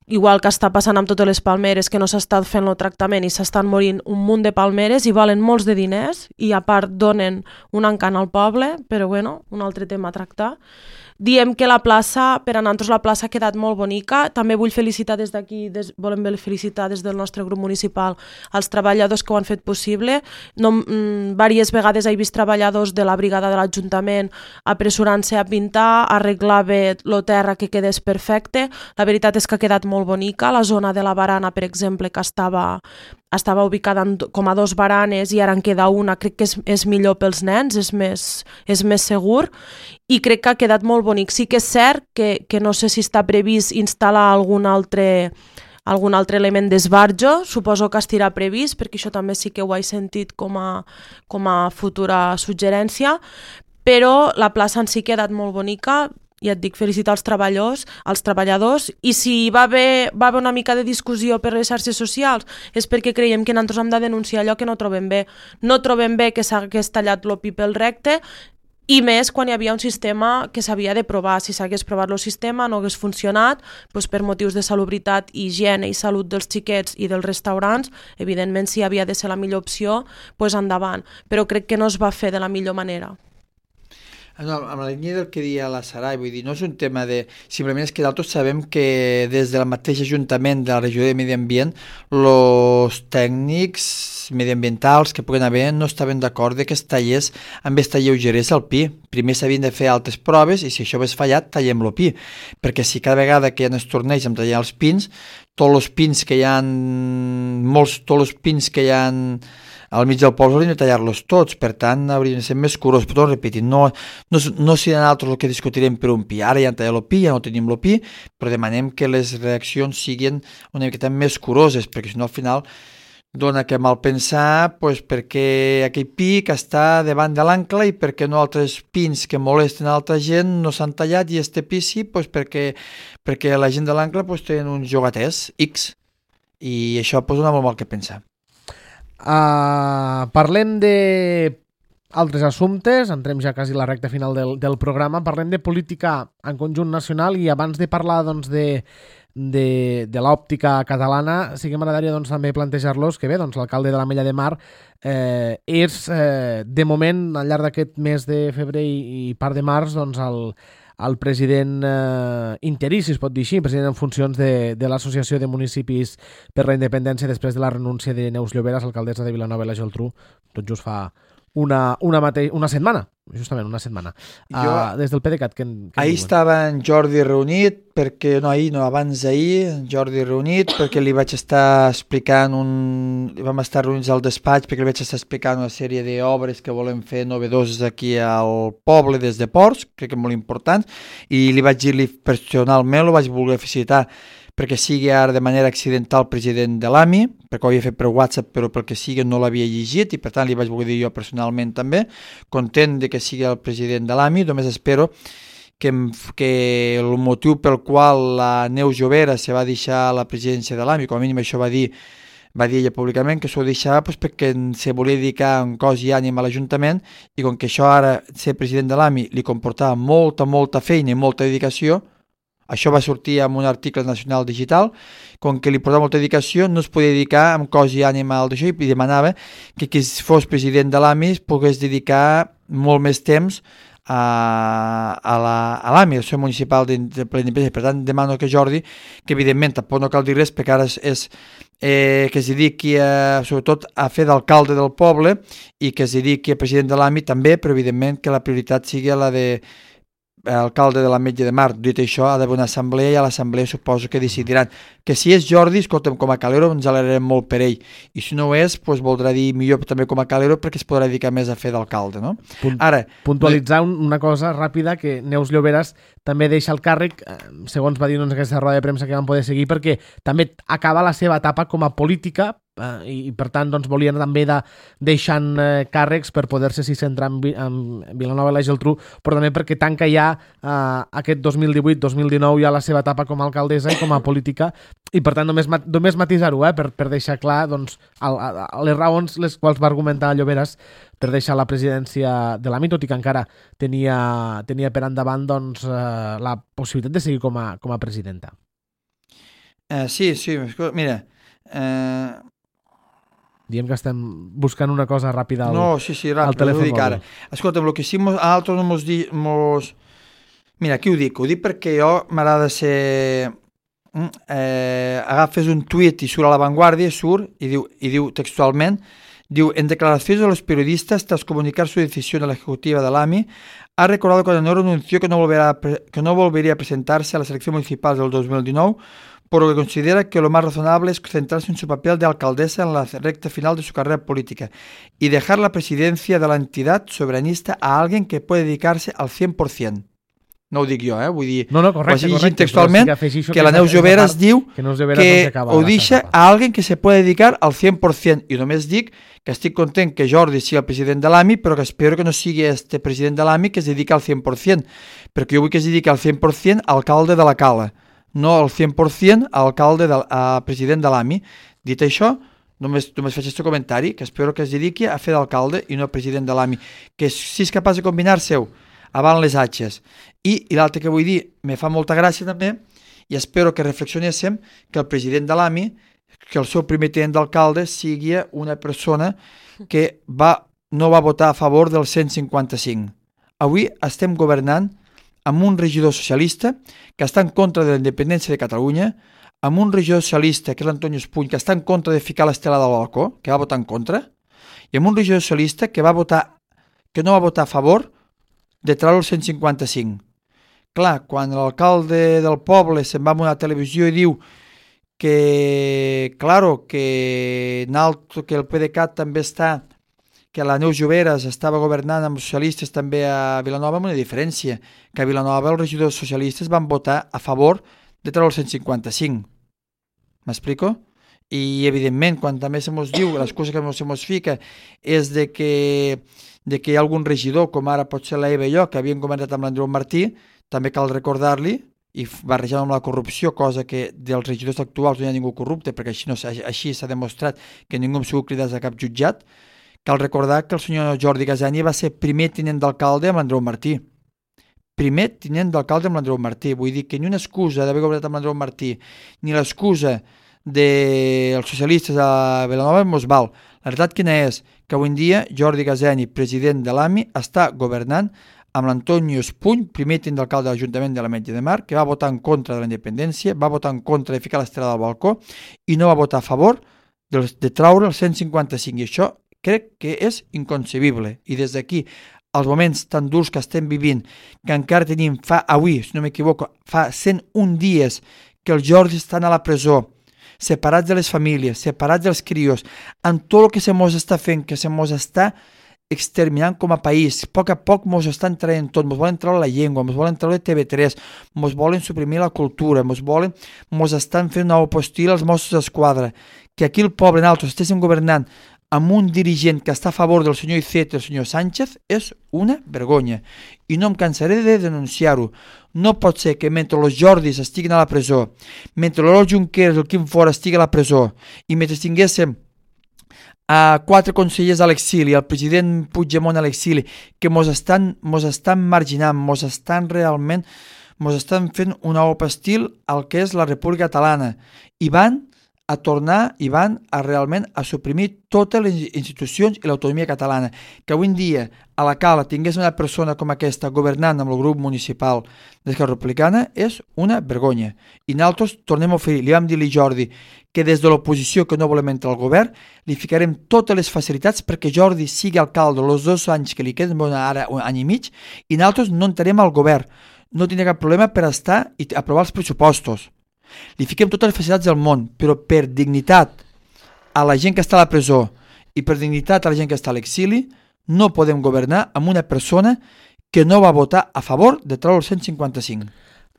igual que està passant amb totes les palmeres, que no s'està fent el tractament i s'estan morint un munt de palmeres i valen molts de diners i a part donen un encant al poble, però bueno, un altre tema a tractar. Diem que la plaça, per a nosaltres la plaça ha quedat molt bonica. També vull felicitar des d'aquí, des, volem felicitar des del nostre grup municipal als treballadors que ho han fet possible. No, mm, diverses vegades he vist treballadors de la brigada de l'Ajuntament apressurant-se a pintar, a arreglar bé el terra que quedés perfecte. La veritat és que ha quedat molt bonica. La zona de la barana, per exemple, que estava... estava ubicada en, com a dos baranes i ara en queda una, crec que és, és millor pels nens, és més, és més segur i crec que ha quedat molt bonic. Sí que és cert que, que no sé si està previst instal·lar algun altre, algun altre element d'esbarjo, suposo que estirà previst, perquè això també sí que ho he sentit com a, com a futura suggerència, però la plaça en si ha quedat molt bonica. Ja et dic, felicitar els treballadors, els treballadors, i si va haver, va haver una mica de discussió per les xarxes socials és perquè creiem que nosaltres hem de denunciar allò que no trobem bé. No trobem bé que s'hagués tallat el pi pel recte, i més quan hi havia un sistema que s'havia de provar. Si s'hagués provat el sistema, no hagués funcionat, doncs per motius de salubritat, higiene i salut dels xiquets i dels restaurants, evidentment si havia de ser la millor opció, doncs endavant. Però crec que no es va fer de la millor manera. No, amb la línia del que deia la Sarai, vull dir, no és un tema de... Simplement és que nosaltres sabem que des del mateix Ajuntament de la regió de Medi Ambient els tècnics mediambientals que puguen haver no estaven d'acord que es tallés amb esta lleugeresa el pi. Primer s'havien de fer altres proves i si això hagués fallat, tallem el pi. Perquè si cada vegada que hi ha estornells amb tallar els pins, tots els pins que hi ha... molts, tots els pins que hi ha al mig del poble hauríem de tallar-los tots, per tant hauríem de ser més curosos, però repetint, no, no, no serà nosaltres el que discutirem per un pi, ara ja han tallat el pi, ja no tenim el pi, però demanem que les reaccions siguin una miqueta més curoses, perquè si no al final dona que mal pensar pues, perquè aquell pi que està davant de l'ancle i perquè no altres pins que molesten a altra gent no s'han tallat i este pi sí pues, perquè, perquè la gent de l'ancle pues, tenen uns jogaters X i això pues, dona molt mal que pensar. Uh, parlem de altres assumptes, entrem ja quasi a la recta final del, del programa, parlem de política en conjunt nacional i abans de parlar doncs, de, de, de l'òptica catalana, sí que m'agradaria doncs, també plantejar-los que bé, doncs, l'alcalde de l'Ametlla de Mar eh, és eh, de moment al llarg d'aquest mes de febrer i, i part de març doncs, el el president eh, interí, si es pot dir així, president en funcions de, de l'Associació de Municipis per la Independència després de la renúncia de Neus Lloberas, alcaldessa de Vilanova i la Geltrú, tot just fa una, una, mate... una setmana, justament una setmana, jo, uh, des del PDeCAT. Que, que ahir estava en Jordi reunit, perquè no ahir, no abans d'ahir, en Jordi reunit, perquè li vaig estar explicant un... vam estar reunits al despatx perquè li vaig estar explicant una sèrie d'obres que volem fer novedoses aquí al poble des de Ports, crec que molt important, i li vaig dir-li personalment, lo vaig voler felicitar perquè sigui ara de manera accidental president de l'A M I, perquè ho havia fet per WhatsApp, però pel que sigui no l'havia llegit i per tant li vaig voler dir jo personalment també, content de que sigui el president de l'A M I, només espero que, que el motiu pel qual la Neus Lloberas se va deixar la presidència de l'A M I, com a mínim això va dir va dir ella públicament que s'ho deixava pues, perquè se volia dedicar en cos i ànima a l'Ajuntament i com que això ara, ser president de l'A M I, li comportava molta, molta feina i molta dedicació, això va sortir en un article nacional digital, com que li portava molta dedicació, no es podia dedicar amb cos i ànima al d'això i demanava que qui fos president de l'A M I es pogués dedicar molt més temps a, a l'A M I, el seu municipal de, de Plena Independència. Per tant, demano que Jordi, que evidentment tampoc no cal dir res, perquè ara és, és eh, que es dediqui a, sobretot a fer d'alcalde del poble i que es dediqui a president de l'A M I també, però evidentment que la prioritat sigui la de alcalde de l'Ametlla de Mar. Dit això, ha d'haver una assemblea i a l'assemblea suposo que decidiran que si és Jordi, escolta'm, com a calero ens alegrarem molt per ell, i si no ho és, doncs voldrà dir millor també com a calero perquè es podrà dedicar més a fer d'alcalde, no? Punt, Ara, puntualitzar una cosa ràpida, que Neus Lloberes també deixa el càrrec, segons va dir en aquesta roda de premsa que vam poder seguir, perquè també acaba la seva etapa com a política eh, i, i per tant doncs, volien també de, deixant eh, càrrecs per poder-se si centrar en, en Vilanova i la Geltrú, però també perquè tanca ja eh, aquest dos mil divuit dos mil dinou ja la seva etapa com a alcaldessa i com a política, i per tant només, només matisar-ho, eh, per, per deixar clar doncs, el, el, les raons les quals va argumentar Lloberes per deixar la presidència de l'A M I, tot i que encara tenia, tenia per endavant doncs, eh, la possibilitat de seguir com a, com a presidenta. Eh, sí, sí, mira... Eh... Diem que estem buscant una cosa ràpida al, no, sí, sí, ràpid, al telèfon mòbil. Ara. Escolta'm, el que sí, mos, a altres no mos, di, mos... Mira, aquí ho dic, ho dic perquè jo m'agrada ser... Eh, agafes un tuit i surt a La Vanguardia, surt i diu, i diu textualment, diu, en declaraciones a los periodistas tras comunicar su decisión a la ejecutiva de l'A M I, ha recordado que Honor anunció que no, volverá, que no volvería a presentarse a las elecciones municipales del dos mil dinou, por lo que considera que lo más razonable es centrarse en su papel de alcaldesa en la recta final de su carrera política y dejar la presidencia de la entidad soberanista a alguien que puede dedicarse al cien por ciento. No ho dic jo, eh? Vull dir, no, no, correcte, ho correcte, textualment, que, que, que la Neus Lloberes diu que, que ho deixa a alguien que se puede dedicar al cien por ciento. I només dic que estic content que Jordi sigui el president de l'A M I, però que espero que no sigui este president de l'A M I que es dedica al cien por ciento, perquè jo vull que es dediqui al cien por ciento a alcalde de la Cala, no al cien por ciento a alcalde de, a president de l'A M I. Dit això, només, només faig aquest comentari, que espero que es dediqui a fer d'alcalde i no president de l'A M I, que si és capaç de combinar-se-ho avant les atxes. I, i l'altre que vull dir, me fa molta gràcia també, i espero que reflexionéssim que el president de l'A M I, que el seu primer tinent d'alcalde sigui una persona que va, no va votar a favor del cent cinquanta-cinc. Avui estem governant amb un regidor socialista que està en contra de la independència de Catalunya, amb un regidor socialista, que és l'Antonio Espuny, que està en contra de ficar l'estela del balcó, que va votar en contra, i amb un regidor socialista que va votar, que no va votar a favor de treure el cent cinquanta-cinc. Clar, quan l'alcalde del poble se'n va a una televisió i diu que, claro, que, que el P D C A T també està, que la Neus Lloberes estava governant amb els socialistes també a Vilanova, amb una diferència, que a Vilanova els regidors socialistes van votar a favor de treure el cent cinquanta-cinc. M'explico? I, evidentment, quan també se mos diu, l'excusa que se mos fica és de que de que hi ha algun regidor, com ara pot ser la Eva i jo, que havien governat amb l'Andreu Martí, també cal recordar-li, i barrejant amb la corrupció, cosa que dels regidors actuals no hi ha ningú corrupte, perquè així, no, així s'ha demostrat que ningú ha sigut cridat a cap jutjat, cal recordar que el senyor Jordi Gasani va ser primer tinent d'alcalde amb l'Andreu Martí. Primer tinent d'alcalde amb l'Andreu Martí. Vull dir que ni una excusa d'haver governat amb l'Andreu Martí, ni l'excusa dels socialistes a Vilanova mos val. La veritat quina és? Que avui en dia Jordi Gasani, president de l'A M I, està governant amb l'Antonio Espuny, primer tinent d'alcalde de l'Ajuntament de l'Ametlla de Mar, que va votar en contra de la independència, va votar en contra de ficar l'estrella del balcó i no va votar a favor de, de traure el cent cinquanta-cinc. I això crec que és inconcebible. I des d'aquí, els moments tan durs que estem vivint, que encara tenim, fa avui, si no m'equivoco, fa cent un dies que els Jordis estan a la presó, separats de les famílies, separats dels crios, amb tot el que se mos està fent, que se mos està exterminant com a país. A poc a poc mos estan traient tot, mos volen treure la llengua, mos volen treure T V tres, mos volen suprimir la cultura, mos volen, mos estan fent una opostil als Mossos d'Esquadra. Que aquí el poble, nosaltres estéssim governant amb un dirigent que està a favor del senyor Iceta i el senyor Sánchez és una vergonya. I no em cansaré de denunciar-ho. No pot ser que mentre els Jordis estiguin a la presó, mentre l'Oriol Junqueras i el Quim Forn estigui a la presó, i mentre tinguéssim a quatre consellers a l'exili, el president Puigdemont a l'exili, que mos estan, mos estan marginant, mos estan realment, mos estan fent una opa estil al que és la República Catalana, i van a tornar i van a realment a suprimir totes les institucions i l'autonomia catalana. Que avui en dia a la Cala tingués una persona com aquesta governant amb el grup municipal d'Esquerra Republicana és una vergonya. I nosaltres tornem a oferir, li vam dir a Jordi que des de l'oposició que no volem entrar al govern li ficarem totes les facilitats perquè Jordi sigui alcalde els dos anys que li queden, ara un any i mig, i nosaltres no entrarem al govern. No tindrà cap problema per estar i aprovar els pressupostos. Li fiquem totes les facilitats del món, però per dignitat a la gent que està a la presó i per dignitat a la gent que està a l'exili no podem governar amb una persona que no va votar a favor de treure el cent cinquanta-cinc.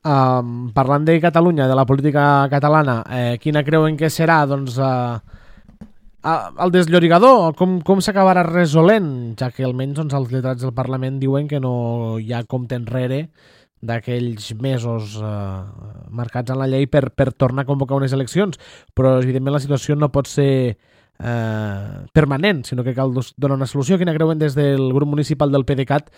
Um, parlant de Catalunya, de la política catalana, eh, quina creuen que serà doncs, eh, el desllorigador? Com, com s'acabarà resolent? Ja que almenys doncs, els lletrats del Parlament diuen que no hi ha compte enrere d'aquells mesos eh, marcats en la llei per, per tornar a convocar unes eleccions, però evidentment la situació no pot ser eh, permanent, sinó que cal donar una solució. Quina creuen des del grup municipal del PDeCAT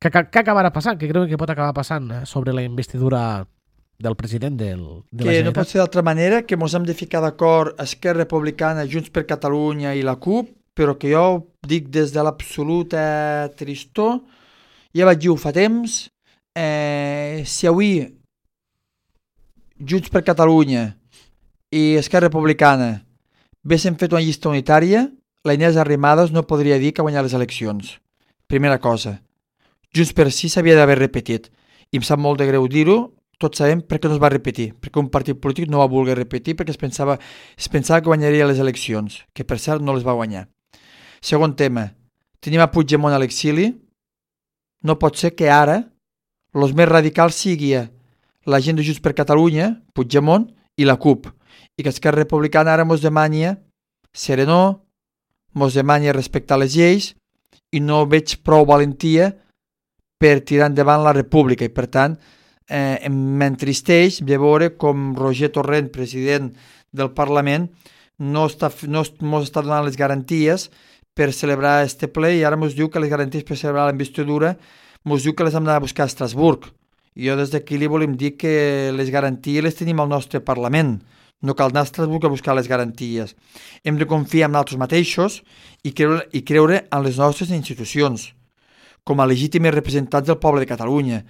que, que, que acabarà passant? Què creuen que pot acabar passant eh, sobre la investidura del president del, de la Que Generalitat? no pot ser d'altra manera, que ens hem de ficar d'acord Esquerra Republicana, Junts per Catalunya i la CUP, però que jo dic des de l'absoluta tristor, ja vaig dir fa temps. Eh, si avui Junts per Catalunya i Esquerra Republicana haguessin fet una llista unitària, la Inés Arrimadas no podria dir que guanyar les eleccions. Primera cosa. Junts per Sí s'havia d'haver repetit. I em sap molt de greu dir-ho, tots sabem per què no es va repetir. Perquè un partit polític no va voler repetir perquè es pensava, es pensava que guanyaria les eleccions, que per cert no les va guanyar. Segon tema. Tenim a Puigdemont a l'exili. No pot ser que ara els més radicals sigui la gent de Junts per Catalunya, Puigdemont i la CUP, i que Esquerra Republicana ara mos demani serenor, mos demani respectar les lleis, i no veig prou valentia per tirar endavant la república, i per tant eh, m'entristeix de veure com Roger Torrent, president del Parlament, no està, no mos està donant les garanties per celebrar este ple, i ara mos diu que les garanties per celebrar la investidura mos diu que les hem d'anar a buscar a Estrasburg. I jo des d'aquí li volem dir que les garanties les tenim al nostre Parlament. No cal anar a Estrasburg a buscar les garanties. Hem de confiar en nosaltres mateixos i creure, i creure en les nostres institucions, com a legítimes representants del poble de Catalunya.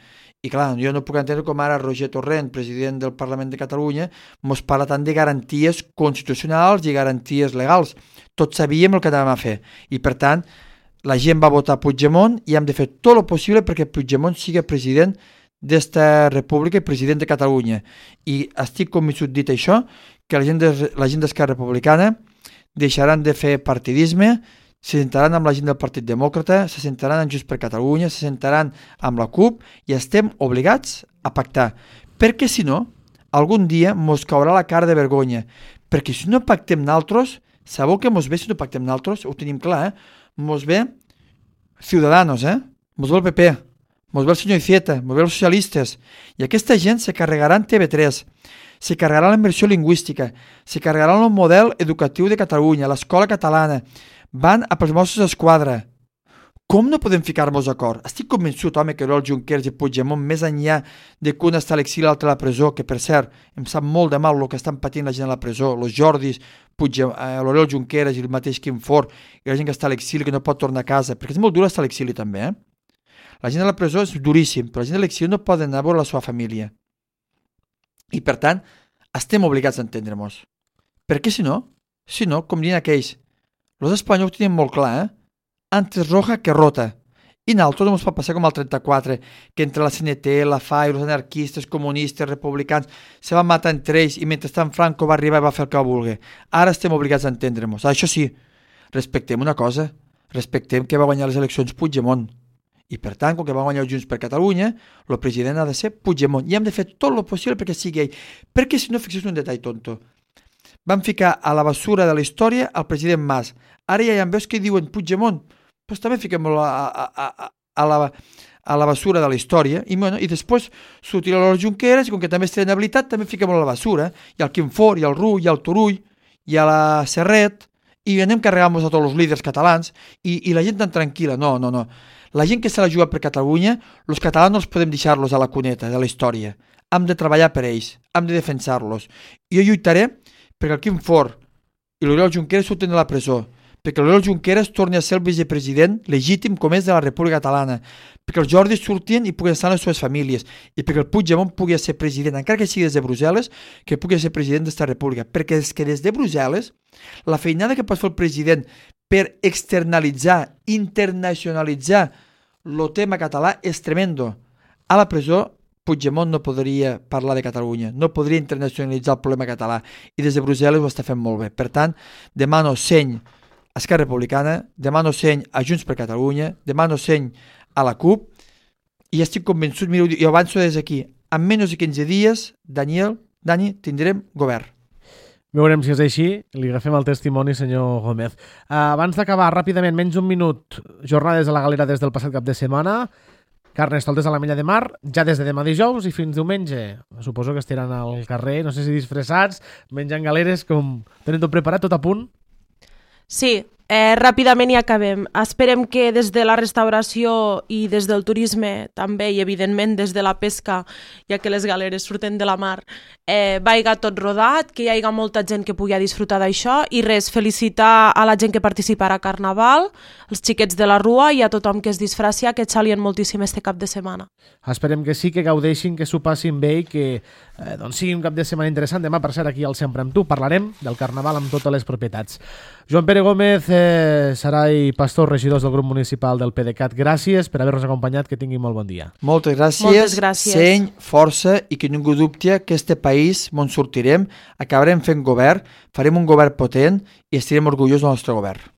I clar, jo no puc entendre com ara Roger Torrent, president del Parlament de Catalunya, mos parla tant de garanties constitucionals i garanties legals. Tots sabíem el que anàvem a fer. I per tant, la gent va votar Puigdemont i hem de fer tot el possible perquè Puigdemont sigui president d'esta república i president de Catalunya. I estic convençut, dit això, que la gent de, la gent d'Esquerra Republicana deixaran de fer partidisme, se sentaran amb la gent del Partit Demòcrata, se sentaran amb Junts per Catalunya, se sentaran amb la CUP i estem obligats a pactar. Perquè si no, algun dia mos caurà la cara de vergonya. Perquè si no pactem naltros, sabeu que mos ve si no pactem naltros? Ho tenim clar, eh? Mos ve Ciudadanos, eh? Mos ve el P P, mos ve el senyor Iceta, mos ve els socialistes, i aquesta gent se carregaran T V tres, se carregaran la immersió lingüística, se carregaran el model educatiu de Catalunya, l'escola catalana, van a pels Mossos d'Esquadra. Com no podem ficar-nos d'acord? Estic convençut, home, que l'Oriol Junqueras i Puigdemont, més enllà de que un està a l'exili i l'altre a la presó, que per cert, em sap molt de mal el que estan patint la gent a la presó, els Jordis, eh, l'Oriol Junqueras i el mateix Quim Forn, i la gent que està a l'exili que no pot tornar a casa, perquè és molt dur estar a l'exili també, eh? La gent a la presó és duríssim, però la gent a l'exili no poden anar a veure la seva família. I per tant, estem obligats a entendre-nos. Perquè si no, si no, com diuen aquells, els espanyols ho tenen molt clar, eh? Antes roja que rota. I nosaltres no ens pot passar com el trenta-quatre, que entre la C N T, la F A I, els anarquistes, comunistes, republicans, se van matar entre ells i mentrestant Franco va arribar i va fer el que va voler. Ara estem obligats a entendre-nos. Això sí, respectem una cosa, respectem que va guanyar les eleccions Puigdemont. I per tant, com que va guanyar Junts per Catalunya, el president ha de ser Puigdemont. I hem de fer tot el possible perquè sigui ell. Perquè si no, fixeu un detall tonto. van ficar a la bessura de la història el president Mas. Ara ja hi ha veus que diuen Puigdemont, doncs també fiquem-lo a, a, a, a, la, a la bessura de la història, i, bueno, i després sortirà l'Oriol Junqueras, i com que també és inhabilitat, també fiquem-lo a la bessura. Hi ha el Quim Forn, hi ha el Rull, hi ha el Turull, hi ha la Serret, i anem carregant-nos a tots els líders catalans, i, i la gent tan tranquil·la. No, no, no. La gent que se la juga per Catalunya, els catalans no els podem deixar-los a la cuneta de la història. Hem de treballar per ells, hem de defensar-los. I jo lluitaré perquè el Quim Forn i l'Oriol Junqueras surten de la presó, perquè l'Oriol Junqueras torni a ser el vicepresident legítim com és de la República Catalana, perquè els Jordis surtin i puguin estar en les seves famílies, i perquè el Puigdemont pugui ser president, encara que sigui des de Brussel·les, que pugui ser president d'esta república, perquè és que des de Brussel·les la feinada que pot fer el president per externalitzar, internacionalitzar el tema català és tremendo. A la presó Puigdemont no podria parlar de Catalunya, no podria internacionalitzar el problema català, i des de Brussel·les ho està fent molt bé. Per tant, demano seny a Esquerra Republicana, demano seny a Junts per Catalunya, demano seny a la CUP, i estic convençut, mireu, jo avanço des d'aquí, en menys de quinze dies, Daniel, Dani, tindrem govern. Veurem si és així, li agafem el testimoni, senyor Gómez. Uh, abans d'acabar, ràpidament, menys un minut, jornades a la Galera des del passat cap de setmana, Carnestoltes a la Mella de Mar, ja des de demà dijous i fins diumenge. Suposo que estaran al carrer, no sé si disfressats, menjant galeres, com tenen tot preparat, tot a punt? Sí, eh, ràpidament i acabem. Esperem que des de la restauració i des del turisme també, i evidentment des de la pesca, ja que les galeres surten de la mar, eh, vaiga tot rodat, que hi hagi molta gent que pugui disfrutar d'això, i res, felicitar a la gent que participarà a Carnaval, els xiquets de la Rua i a tothom que es disfracia, que xalien moltíssim este cap de setmana. Esperem que sí, que gaudeixin, que s'ho passin bé i que eh, doncs sigui un cap de setmana interessant. Demà, per cert, aquí al Sempre amb tu parlarem del Carnaval amb totes les propietats. Joan Pere Gómez, eh, Sarai Pastor, regidors del grup municipal del PDeCAT, gràcies per haver-nos acompanyat, que tinguin molt bon dia. Moltes gràcies, Moltes gràcies. Seny, força, i que ningú dubti que este país, on sortirem, acabarem fent govern, farem un govern potent i estarem orgullosos del nostre govern.